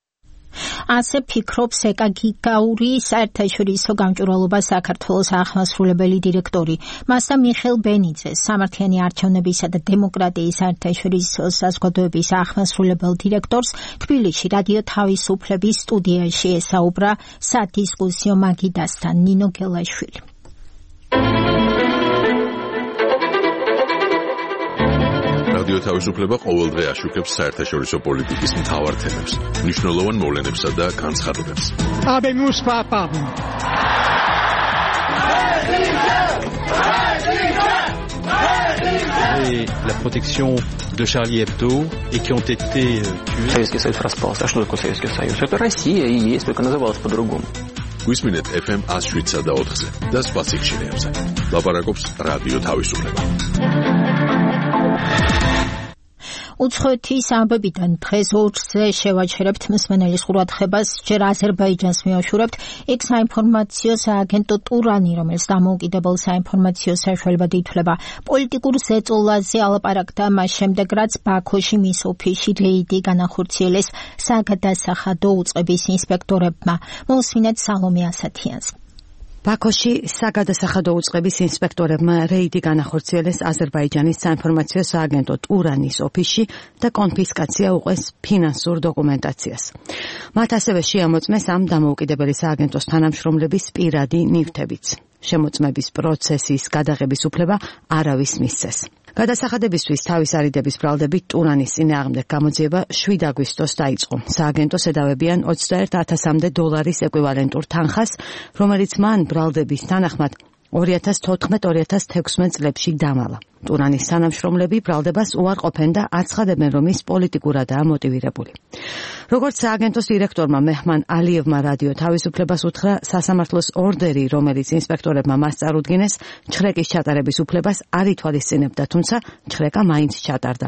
ასე ფიქრობს ეკაგიგაური საერთაშორისო გამჭვირვალობა საქართველოს აღმასრულებელი დირექტორი. მასა მიხეილ ბენიძე, სამართლიანი არჩევნებისა და დემოკრატიის საერთაშორისო საზოგადოების აღმასრულებელ დირექტორს თბილისში რადიო თავისუფლების სტუდიაში ესაუბრა სადისკუსიო მაგიდასთან ნინო გელაშვილი. რადიო თავისუფლება ყოველდღე აშუქებს საერთაშორისო პოლიტიკის მთავარ თემებს, მნიშვნელოვან მოვლენებსა და განცხადებებს. Habemus papam. Et la protection de Charlie Hebdo et qui ont été tués. Советский Союз распался. А что такое Советский Союз? Это Россия и есть, только называлась по-другому. გვისმინეთ эф эм one oh seven და ოთხზე და სხვა სიხშირეებზე. ლაპარაკობს რადიო თავისუფლება. უცხოეთის ამბებიდან დღეს ორზე შევაჩერებთ მსმენელის ყურადღებას, ჯერ აზერბაიჯანს მივაშურებთ, იქ საინფორმაციო სააგენტო ტურანი, რომელიც დამოუკიდებელ საინფორმაციო საშუალებად ითვლება, პოლიტიკურ ზეწოლაზე ალაპარაკდა მას შემდეგ, რაც ბაქოში მის ოფისში რეიდი განახორციელეს საგადასახადო უწყების ინსპექტორებმა. მოусმინეთ სალომე ასათიანს. ბაქოში საგადასახადო უწყების ინსპექტორებმა რეიდი განახორციელეს აზერბაიჯანის საინფორმაციო სააგენტო ტურანის ოფისში და კონფისკაცია უყეს ფინანსურ დოკუმენტაციას. მათ ასევე შეამოწმეს ამ დამოუკიდებელი სააგენტოს თანამშრომლების პირადი ნივთებიც. შემოწმების პროცესის გადაღების უფლება არავის მისცეს. გადასახადებისთვის თავის არიდების ბრალდებით ტურანის წინააღმდეგ გამოძიება შვიდ აგვისტოს დაიწყო. სააგენტოს ედავებიან ოცდაერთ ათასამდე დოლარის ეკვივალენტურ თანხას, რომელიც მან ბრალდების თანახმად ორი ათას თოთხმეტ ორი ათას თექვსმეტ წლებში დამალა. ტურანის თანამშრომლები ბრალდებას უარყოფენ და აცხადებენ, რომ ის პოლიტიკურადაა მოტივირებული. როგორც სააგენტოს დირექტორმა მეჰმან ალიევმა რადიო თავისუფლებას უთხრა, სასამართლოს ორდერი, რომელიც ინსპექტორებმა მას წარუდგინეს, ჩხრეკის ჩატარების უფლებას არ ითვალისწინებდა, თუმცა ჩხრეკა მაინც ჩატარდა.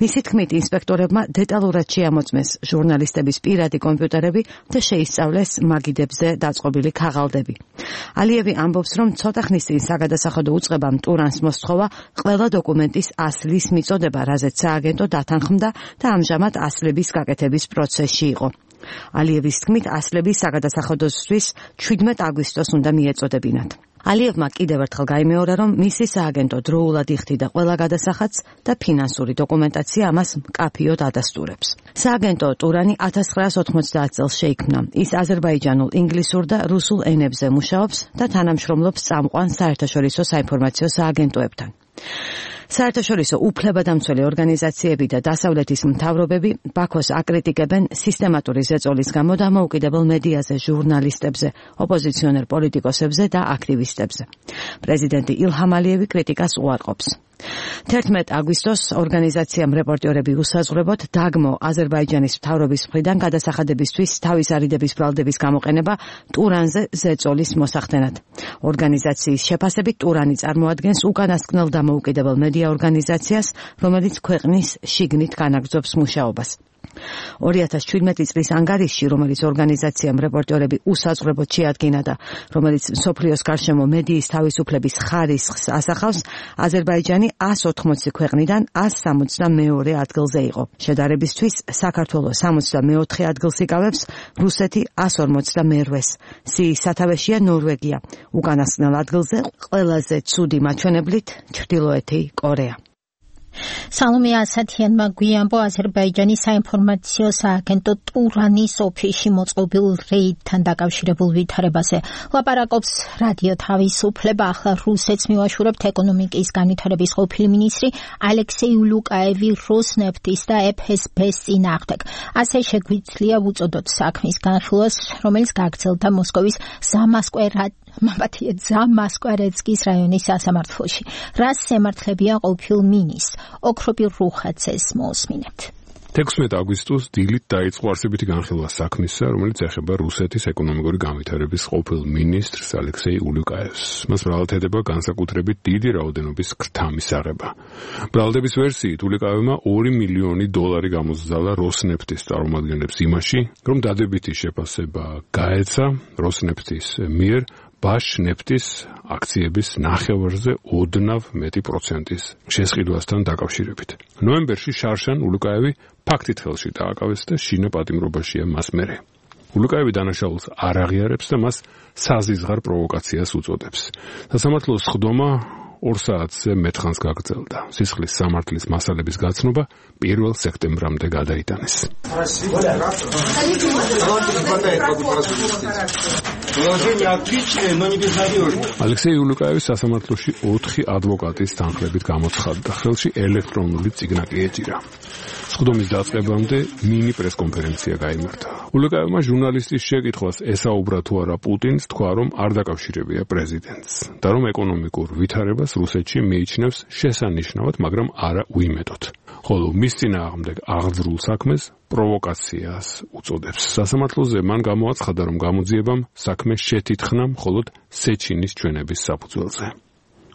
მისი თქმით, ინსპექტორებმა დეტალურად შეამოწმეს ჟურნალისტების პირადი კომპიუტერები და შეისწავლეს მაგიდებზე დაწყობილი ქაღალდები. ალიევი ამბობს, რომ ცოტა ხნის წინ საგადასახადო უწყებამ ტურანს მოსთხოვა ყველა დოკუმენტის ასლის მიწოდება, რაზეც სააგენტო დათანხმდა და ამჟამად ასლების გაკეთების პროცესში იყო. ალიევის თქმით, ასლები საგადასახადოსთვის შვიდმეტ აგვისტოს უნდა მიეწოდებინათ. ალიევმა კიდევ ერთხელ გაიმეორა, რომ მისი სააგენტო დროულად იხდიდა ყველა გადასახადს და ფინანსური დოკუმენტაცია ამას მკაფიოდ ადასტურებს. სააგენტო ტურანი ათას ცხრაას ოთხმოცდაათ წელს შეიქმნა. ის აზერბაიჯანულ, ინგლისურ და რუსულ ენებზე მუშაობს და თანამშრომლობს წამყვან საერთაშორისო საინფორმაციო სააგენტოებთან. საერთაშორისო უფლებადამცველი ორგანიზაციები და დასავლეთის მთავრობები ბაქოს აკრიტიკებენ სისტემატური ზეწოლის გამო დამოუკიდებელ მედიაზე, ჟურნალისტებზე, ოპოზიციონერ პოლიტიკოსებზე და აქტივისტებზე. პრეზიდენტი ილჰამ ალიევი კრიტიკას უარყოფს. თერთმეტ აგვისტოს ორგანიზაციამ რეპორტიორები უსაზღვრებოდ დაგმო აზერბაიჯანის მთავრობის მხრიდან გადასახადებისთვის თავის არიდების ბრალდების გამოყენება ტურანზე ზეწოლის მოსახდენად. ორგანიზაციის შეფასებით ტურანი წარმოადგენს უკანასკნელ დამოუკიდებელ მედია ორგანიზაციას, რომელიც ქვეყნის შიგნით განაგრძობს მუშაობას. ორი ათას შვიდმეტი წლის ანგარიშში, რომელიც ორგანიზაციამ რეპორტიორები უსაზღვრებოდ შეადგინა და რომელიც მსოფლიოს გარშემო მედიის თავისუფლების ხარისხს ასახავს, აზერბაიჯანი ას ოთხმოცი ქვეყნიდან ას სამოცდამეორე ადგილზე იყო. შედარებისთვის, საქართველოს სამოცდამეოთხე ადგილს იკავებს, რუსეთი ას ორმოცდამერვეს. სიის სათავეშია ნორვეგია. უკანასკნელ ადგილზე ყველაზე ცუდი მაჩვენებლით ჩრდილოეთი კორეა. სალომე ასათიანმა გვიანბო აზერბაიჯანის საინფორმაციო სააგენტო ტურანის ოფისში მოწყობილ რეიდთან დაკავშირებულ ვითარებაზე. ლაპარაკობს რადიო თავისუფლება. ახლა რუსეთს მივაშურებთ ეკონომიკის განვითარების ყოფილი მინისტრი ალექსეი ულუკაევი როსნეფტის და ეფ ეს ბეს წინააღმდეგ. ასე შეგვიძლია ვუწოდოთ საქმის განხილვას, რომელიც გაგრძელდა მოსკოვის ზამასკვერად მაბათია ზამასკვერეცკის რაიონის სასამართლოში. რას ემართლებია ყოფილ მინისტრს? ოქროპი რუხაცეს მოусმინებთ. თექვსმეტ აგვისტოს დილით დაიწყო არსებითი განხილვა საქმისა, რომელიც ეხება რუსეთის ეკონომიკური განვითარების ყოფილ მინისტრს ალექსეი ულუკაევს. მას ბრალდებდა განსაკუთრებით დიდი რაოდენობის ქრთა მისაღება. ბრალდების ვერსიით ულუკაევმა ორი მილიონი დოლარი გამოსძალა როსნეფტის წარმომადგენლებს იმაში, რომ დადებითი შეფასება გაეცა როსნეფტის მიერ ბაშ ნეფტის აქციების ნახევარზე ოდნავ მეტი პროცენტის შესყიდვასთან დაკავშირებით. ნოემბერში შარშან ულუკაევი ფაქტით ხელში დააკავეს და შინა პატიმრობაშია მას მერე. ულუკაევი დანაშაულს არ აღიარებს და მას საზიზღარ პროვოკაციას უწოდებს. სასამართლოს სხდომა ორ საათზე მეტხანს გაგრძელდა. სისხლის სამართლის მასალების გაცნობა პირველ სექტემბრამდე გადაიტანეს. ალექსეი ულუკაევი სასამართლოში ოთხი ადვოკატის თანხლებით გამოცხადდა. ხელში ელექტრონული წიგნაკი ეჭირა. სხდომის დაწყებამდე მინი პრესკონფერენცია გაიმართა. ულუკაევმა ჟურნალისტის შეკითხვას ესაუბრა თუ არა პუტინს, თქვა რომ არ დაკავშირებია პრეზიდენტს და რომ ეკონომიკურ ვითარებას რუსეთში მიიჩნევს შესანიშნავად, მაგრამ არა უიმედოდ. ხოლო მის წინააღმდეგ აღძრულ საქმეს პროვოკაციას უწოდებს. სასამართლოზე მან გამოაცხადა, რომ გამოძიებამ საქმე შეთითხნა მხოლოდ სეჩინის ჩვენების საფუძველზე.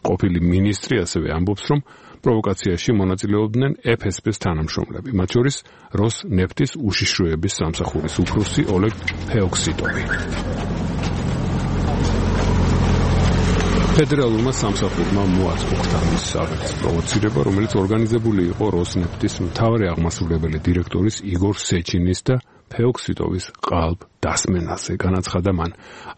ყოფილი მინისტრი ასევე ამბობს, რომ პროვოკაციაში მონაწილეობდნენ ეფ ეს პეს თანამშრომლები, მათ შორის როსნეფტის უშიშროების სამსახურის უფროსი ოლეგ ფეოქსიტოვი. ფედერალურმა სამსახურმა მოაწყვეტა მის აღების პროვოცირება, რომელიც ორგანიზებული იყო როსნეფტის მთავარი აღმასრულებელი დირექტორის იგორ სეჩინის და ფეოქსიტოვის ყალბ დასმენაზე. განაცხადა მან,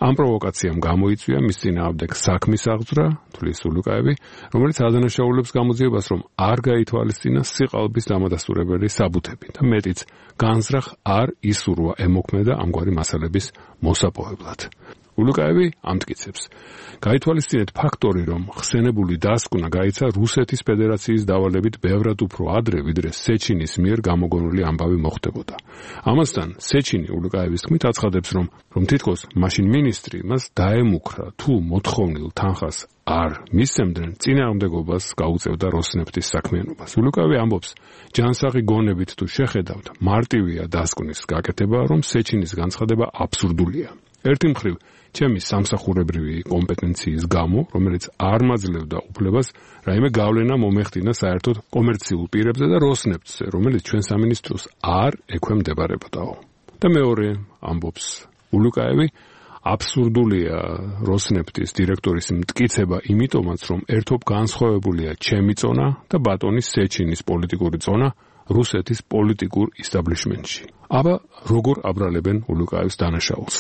ამ პროვოკაციამ გამოიწვია მის წინააღმდეგ საქმის აღძვრა, თვლის ულუკაევი, რომელიც ადანაშაულებს გამოძიებას, რომ არ გაითვალისწინა სიყალბის დამადასტურებელი საბუთები და მეტიც განზრახ არ ისურვა ემოქმედა ამგვარი მასალების მოსაპოვებლად. ულუკაევი ამტკიცებს, გაითვალისწინეთ ფაქტორი, რომ ხსენებული დასკვნა გაიცა რუსეთის ფედერაციის დავალებით ბევრად უფრო ადრე, ვიდრე სეჩინის მიერ გამოგონილი ამბავი მოხდებოდა. ამასთან სეჩინი ულუკაევის თქმით აცხადებს, რომ რომ თითქოს მაშინ მინისტრი მას დაემუქრა, თუ მოთხოვნილ თანხას არ მისცემდნენ, წინააღმდეგობას გაუწევდა როსნეფტის საქმიანობას. ულუკაევი ამბობს, ჯანსაღი გონებით თუ შეხედავთ, მარტივია დასკვნის გაკეთება, რომ სეჩინის განცხადება აბსურდულია. ერთი მხრივ ჩემი სამსახურებრივი კომპეტენციის გამო, რომელიც არ მაძლევდა უფლებას რაიმე გავლენა მომეხდინა საერთოდ კომერციულ პირებზე და როსნეფტზე, რომელიც ჩვენ სამინისტროს არ ექვემდებარებოდაო. და მეორე ამბობს ულუკაევი, აბსურდულია როსნეფტის დირექტორის მტკიცება იმიტომაც, რომ ერთობ განსხვავებულია ჩემი წონა და ბატონის სეჩინის პოლიტიკური წონა რუსეთის პოლიტიკურ ისტაბლიშმენტში. აბა როგორ აბრალებენ ულუკაევს დანაშაულს?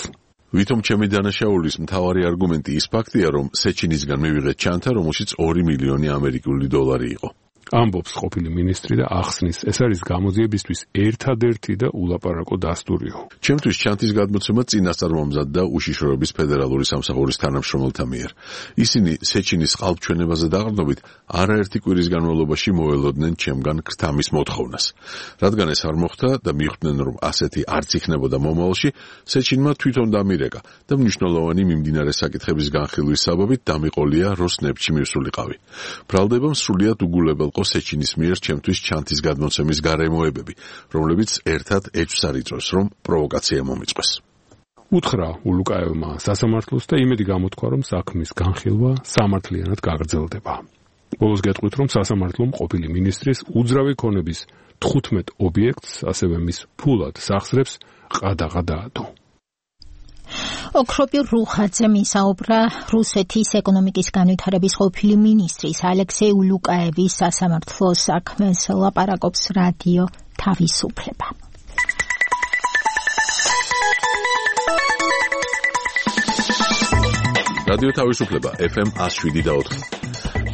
ვითომ ჩემი დანაშაულის მთავარი არგუმენტი ის ფაქტია, რომ სეჩინისგან მივიღეთ ჩანთა, რომელშიც ორი მილიონი ამერიკული დოლარი იყო. ამბობს ყოფილი მინისტრი და ახსნის, ეს არის გამოძიებისთვის ერთადერთი და ულაპარაკო დასტურიო. ჩემთვის ჩანთის გადმოცემა წინასწარ მომზადდა უშიშროების ფედერალური სამსახურის თანამშრომელთა მიერ. ისინი სეჩინის ყალბჩვენებაზე დაყრდნობით არაერთი კვირის განმავლობაში მოველოდნენ ჩემგან ქრთამის მოთხოვნას. რადგან ეს არ მოხდა და მიხვდნენ, რომ ასეთი არც იქნებოდა მომავალში, სეჩინმა თვითონ დამირეკა და მნიშვნელოვანი მიმდინარე საკითხების განხილვის საბაბით დამიყოლია როსნეფტში მივსულიყავი. ბრალდებამ სრულიად უგულებელ სეჩინის მიერ ჩემთვის ჩანთის გადმოცემის გარემოებები, რომლებიც ერთად ეჭვს არ იწვევს, რომ პროვოკაცია მომიწყვეს. უთხრა ულუკაევმა სასამართლოს და იმედი გამოთქვა, რომ საქმის განხილვა სამართლიანად გაგრძელდება. ბოლოს გეტყვით, რომ სასამართლომ ყოფილი მინისტრის უძრავი ქონების თხუთმეტ ობიექტს, ასევე მის ფულად სახსრებს ყადაღა დაადო. ოქროპირ რუხაძე მისაუბრა რუსეთის ეკონომიკის განვითარების ყოფილი მინისტრის ალექსეი ულუკაევის სასამართლო საქმეს ლაპარაკობს რადიო თავისუფლება. რადიო თავისუფლება ეფ ემ one oh seven და ოთხ.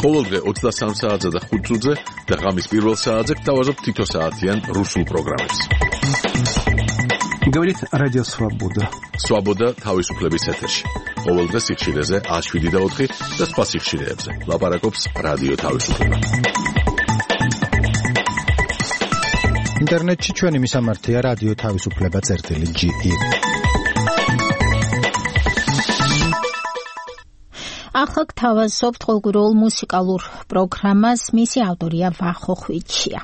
ყოველდღე ოცდასამ საათზე და ხუთ წუთზე და ღამის პირველ საათზე გთავაზობთ თითო საათიან რუსულ პროგრამებს. Говорит Радио Свобода. Свобода თავისუფლების ეთერში. ყოველდღე სიხშირეზე one oh seven და ოთხ და სხვა სიხშირეებზე. ლაპარაკობს რადიო თავისუფლება. ინტერნეტში ჩვენი მისამართია რადიო თავისუფლება წერტილი ჯი ი. ახლა გთავაზობთ ყოველგვარულ მუსიკალურ პროგრამას, მისი ავტორია ვახო ხვიჩია.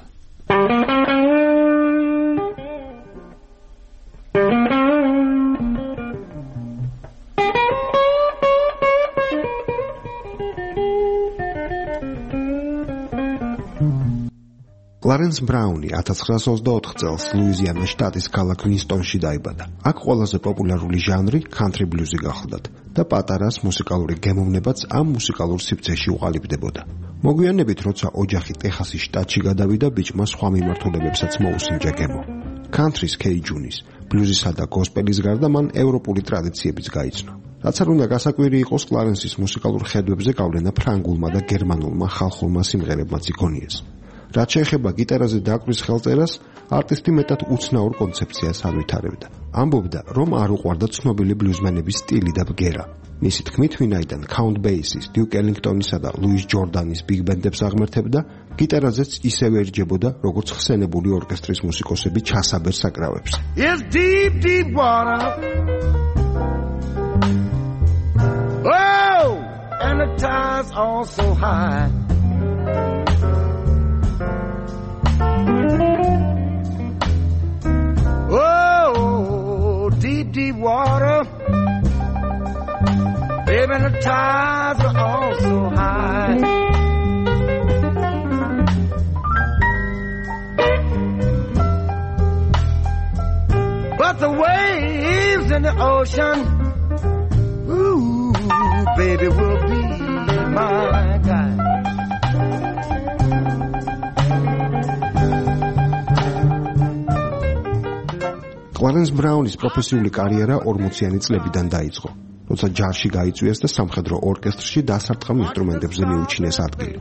კლარენს ბრაუნი one thousand nine hundred twenty-four წელს ლუიზიანის შტატის ქალაქ ვინსტონში დაიბადა. აქ ყველაზე პოპულარული ჟანრი country blues-ი გახლდათ და პატარას მუსიკალური გემოვნებაც ამ მუსიკალურ სივრცეში უყალიბდებოდა. მოგვიანებით, როცა ოჯახი ტეხასის შტატში გადავიდა, ბიჭმა სხვა მიმართულებებსაც მოუსინჯა გემო. country-ს კეიჯუნის, ბლუზისა და გოსპელის გარდა მან ევროპული ტრადიციებიც გაიცნო. რაც არ უნდა გასაკვირი იყოს, კლარენსის მუსიკალურ ხედვებზე გავლენა ფრანგულმა და გერმანულმა ხალხურმა სიმღერებმაც იქონიეს. რაც შეეხება გიტარაზე დაკვრის ხელწერას, არტისტი მეტად უცნაურ კონცეფციას ავითარებდა. ამბობდა, რომ არ უყვარდა ცნობილი ბლუზმენების სტილი და ბგერა. მისი თქმით, ვინაიდან Count Basie's, Duke Ellington-ისა და Louis Jordan-ის big band-ებს აღმერთებდა, გიტარაზეც ისევე ერჯებოდა, როგორც ხსენებული ორკესტრის მუსიკოსები ჩასაბერ საკრავებს. It's deep, deep water. Oh, and the tide's all so high. Oh, deep, deep water. Baby, the tides are all so high. But the waves in the ocean, ooh, baby, will be my guide. კლარენს ბრაუნის პროფესიული კარიერა ორმოციანი წლებიდან დაიწყო, როცა ჯარში გაიწვიეს და სამხედრო ორკესტრში დასარტყამ ინსტრუმენტებზე მიუჩინეს ადგილი.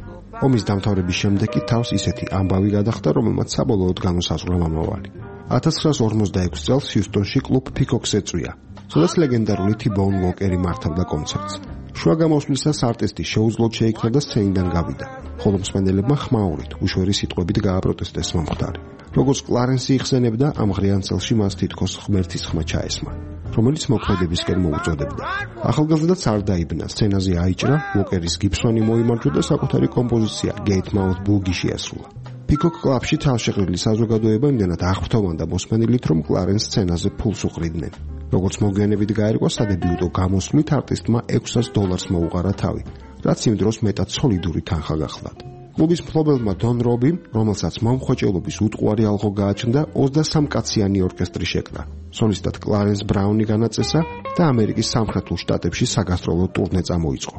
ომის დამთავრების შემდეგ კი თავს ისეთი ამბავი გადახდა, რომელმაც საბოლოოდ განუსაზღვრა მომავალი. ათას ცხრაას ორმოცდაექვსი წელს ჰიუსტონში კლუბ Peacock's ეწვია, სადაც ლეგენდარული T-Bone Walker-ი მართავდა კონცერტს. შუა გამოსვლისას არტისტი შეუძლოდ შეიქმნა და სცენიდან გავიდა, ხოლო მსმენელებმა ხმაურით, უშვერი სიტყვებით გააპროტესტეს მომხდარი. როგორც კლარენსი იხსენებდა, ამ ღრიან წელში მას თითქოს ღმერთის ხმა ჩაესმა, რომელიც მოქმედებისკენ მოუწოდებდა. ახალგაზრდაც არ დაიბნა, სცენაზე აიჭრა, Walker-ის გიბსონი მოიმარჯვა და საკუთარი კომპოზიცია Gate Mouth Boogie შეასრულა. Peacock კლუბში თავშეყრილი საზოგადოება იმდენად აღფრთოვანდა მოსმენილით, რომ კლარენს სცენაზე ფულს უყრიდნენ. როგორც მოგვიანებით გაერკვა, სადებიუტო გამოსვლით არტისტმა ექვსას დოლარს მოუყარა თავი, რაც იმ დროს მეტად სოლიდური თანხა გახლდათ. კლუბის მფლობელმა დონ რობიმ, რომელსაც მომხვეჭელობის უტყუარი ალღო გააჩნდა, ოცდასამ კაციანი ორკესტრი შეკრა. სოლისტად კლარენს ბრაუნი განაწესა და ამერიკის სამხრეთულ შტატებში საგასტროლო ტურნე წამოიწყო.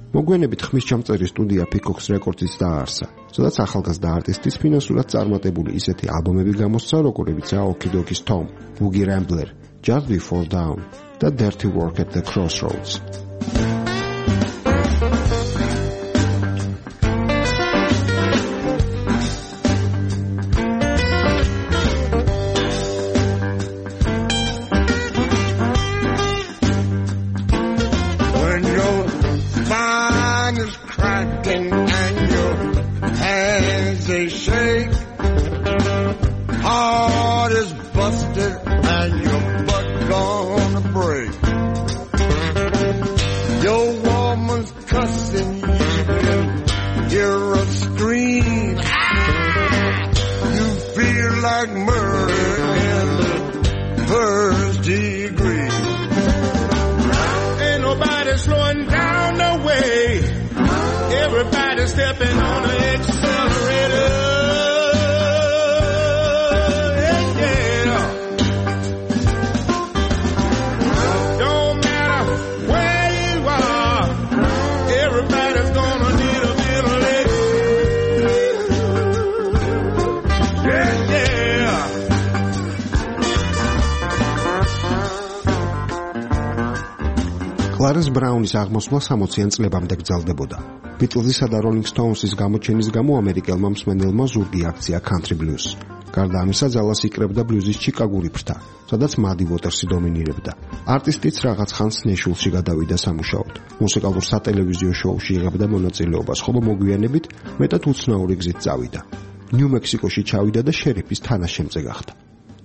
მოგვიანებით ხმისჩამწერი სტუდია Peacock's Records-იც დააარსა, სადაც ახალგაზრდა არტისტის ფინანსურად წარმატებული ისეთი ალბომები გამოსცა, როგორებიცაა Okidoki's Tom, Boogie Rambler, Just Before Dawn და Dirty Work at the Crossroads. Stepping on the accelerator, yeah, yeah. Don't matter where you are, everybody's gonna need a little lick, yeah, yeah. კლარენს ბრაუნის აღმოსვლა სამოციან წლებამდე გრძელდებოდა. Beatles-ისა და Rolling Stones-ის გამოჩენის გამო ამერიკელმა მსმენელმა ზურგი აქცია country blues. გარდა ამისა, ძალას იკრებდა ბლუზის ჩიკაგური ფრთა, სადაც Muddy Waters-ი დომინირებდა. არტისტიც რაღაც ხანს ნეშვილში გადავიდა სამუშაოდ. მუსიკალურ სატელევიზიო შოუში იღებდა მონაწილეობას, ხოლო მოგვიანებით მეტად უცნაური გზით წავიდა. ნიუ-მექსიკოში ჩავიდა და შერიფის თანაშემწე გახდა.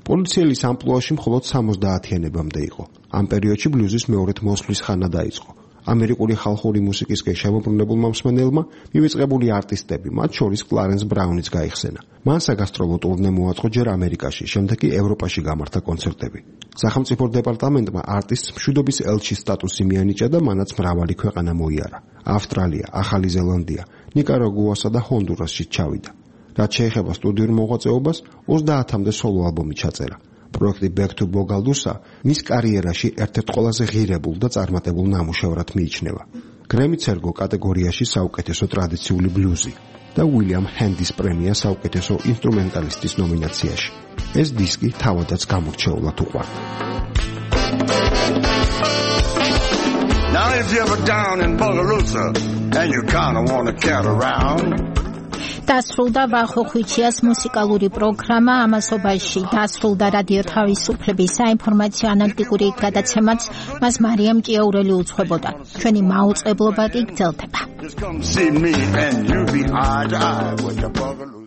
პოლიციელის ამპლუაში მხოლოდ სამოცდაათიანებამდე იყო. ამ პერიოდში ბლუზის მეორედ მოსვლის ხანა დაიწყო. ამერიკული ხალხური მუსიკისკენ შემოbrunებულმა მსმენელმა მივიწყებული არტისტები, მათ შორის კლარენს ბრაუნიც გაიხსენა. მან საგასტროლო ტურნე მოაწყო ჯერ ამერიკაში, შემდეგ კი ევროპაში გამართა კონცერტები. სახელმწიფო დეპარტამენტმა არტისტს მშვიდობის ელჩის სტატუსი მიანიჭა და მანაც მრავალი ქვეყანა მოიარა. ავსტრალია, ახალი ზელანდია, ნიკარაგუასა და ჰონდურასში ჩავიდა. რაც შეეხება სტუდიურ მოღვაწეობას, ოცდაათამდე სოლო ალბომი ჩაწერა. პროექტი Back to Bogaldusa მის კარიერაში ერთ-ერთ ყველაზე ღირებულ და წარმატებულ ნამუშევრად მიიჩნევა. გრემიც ერგო კატეგორიაში საუკეთესო ტრადიციული ბლუზი და უილიამ ჰენდის პრემია საუკეთესო ინსტრუმენტალისტის ნომინაციაში. ეს დისკი თავადაც გამორჩეულად უყვარდა. Now if you're ever down in Bogalusa and you kind of want to get around დასრულდა ვახოხვიჩიას მუსიკალური პროგრამა ამასობაში დასრულდა რადიო თავისუფლების საინფორმაციო ანალიტიკური გადაცემაც მას მარიამ ჭიაურელი უძღვებოდა ჩვენი მაუწყებლობა კი გრძელდება. Just come see me and you be eye to eye with the Bogalusa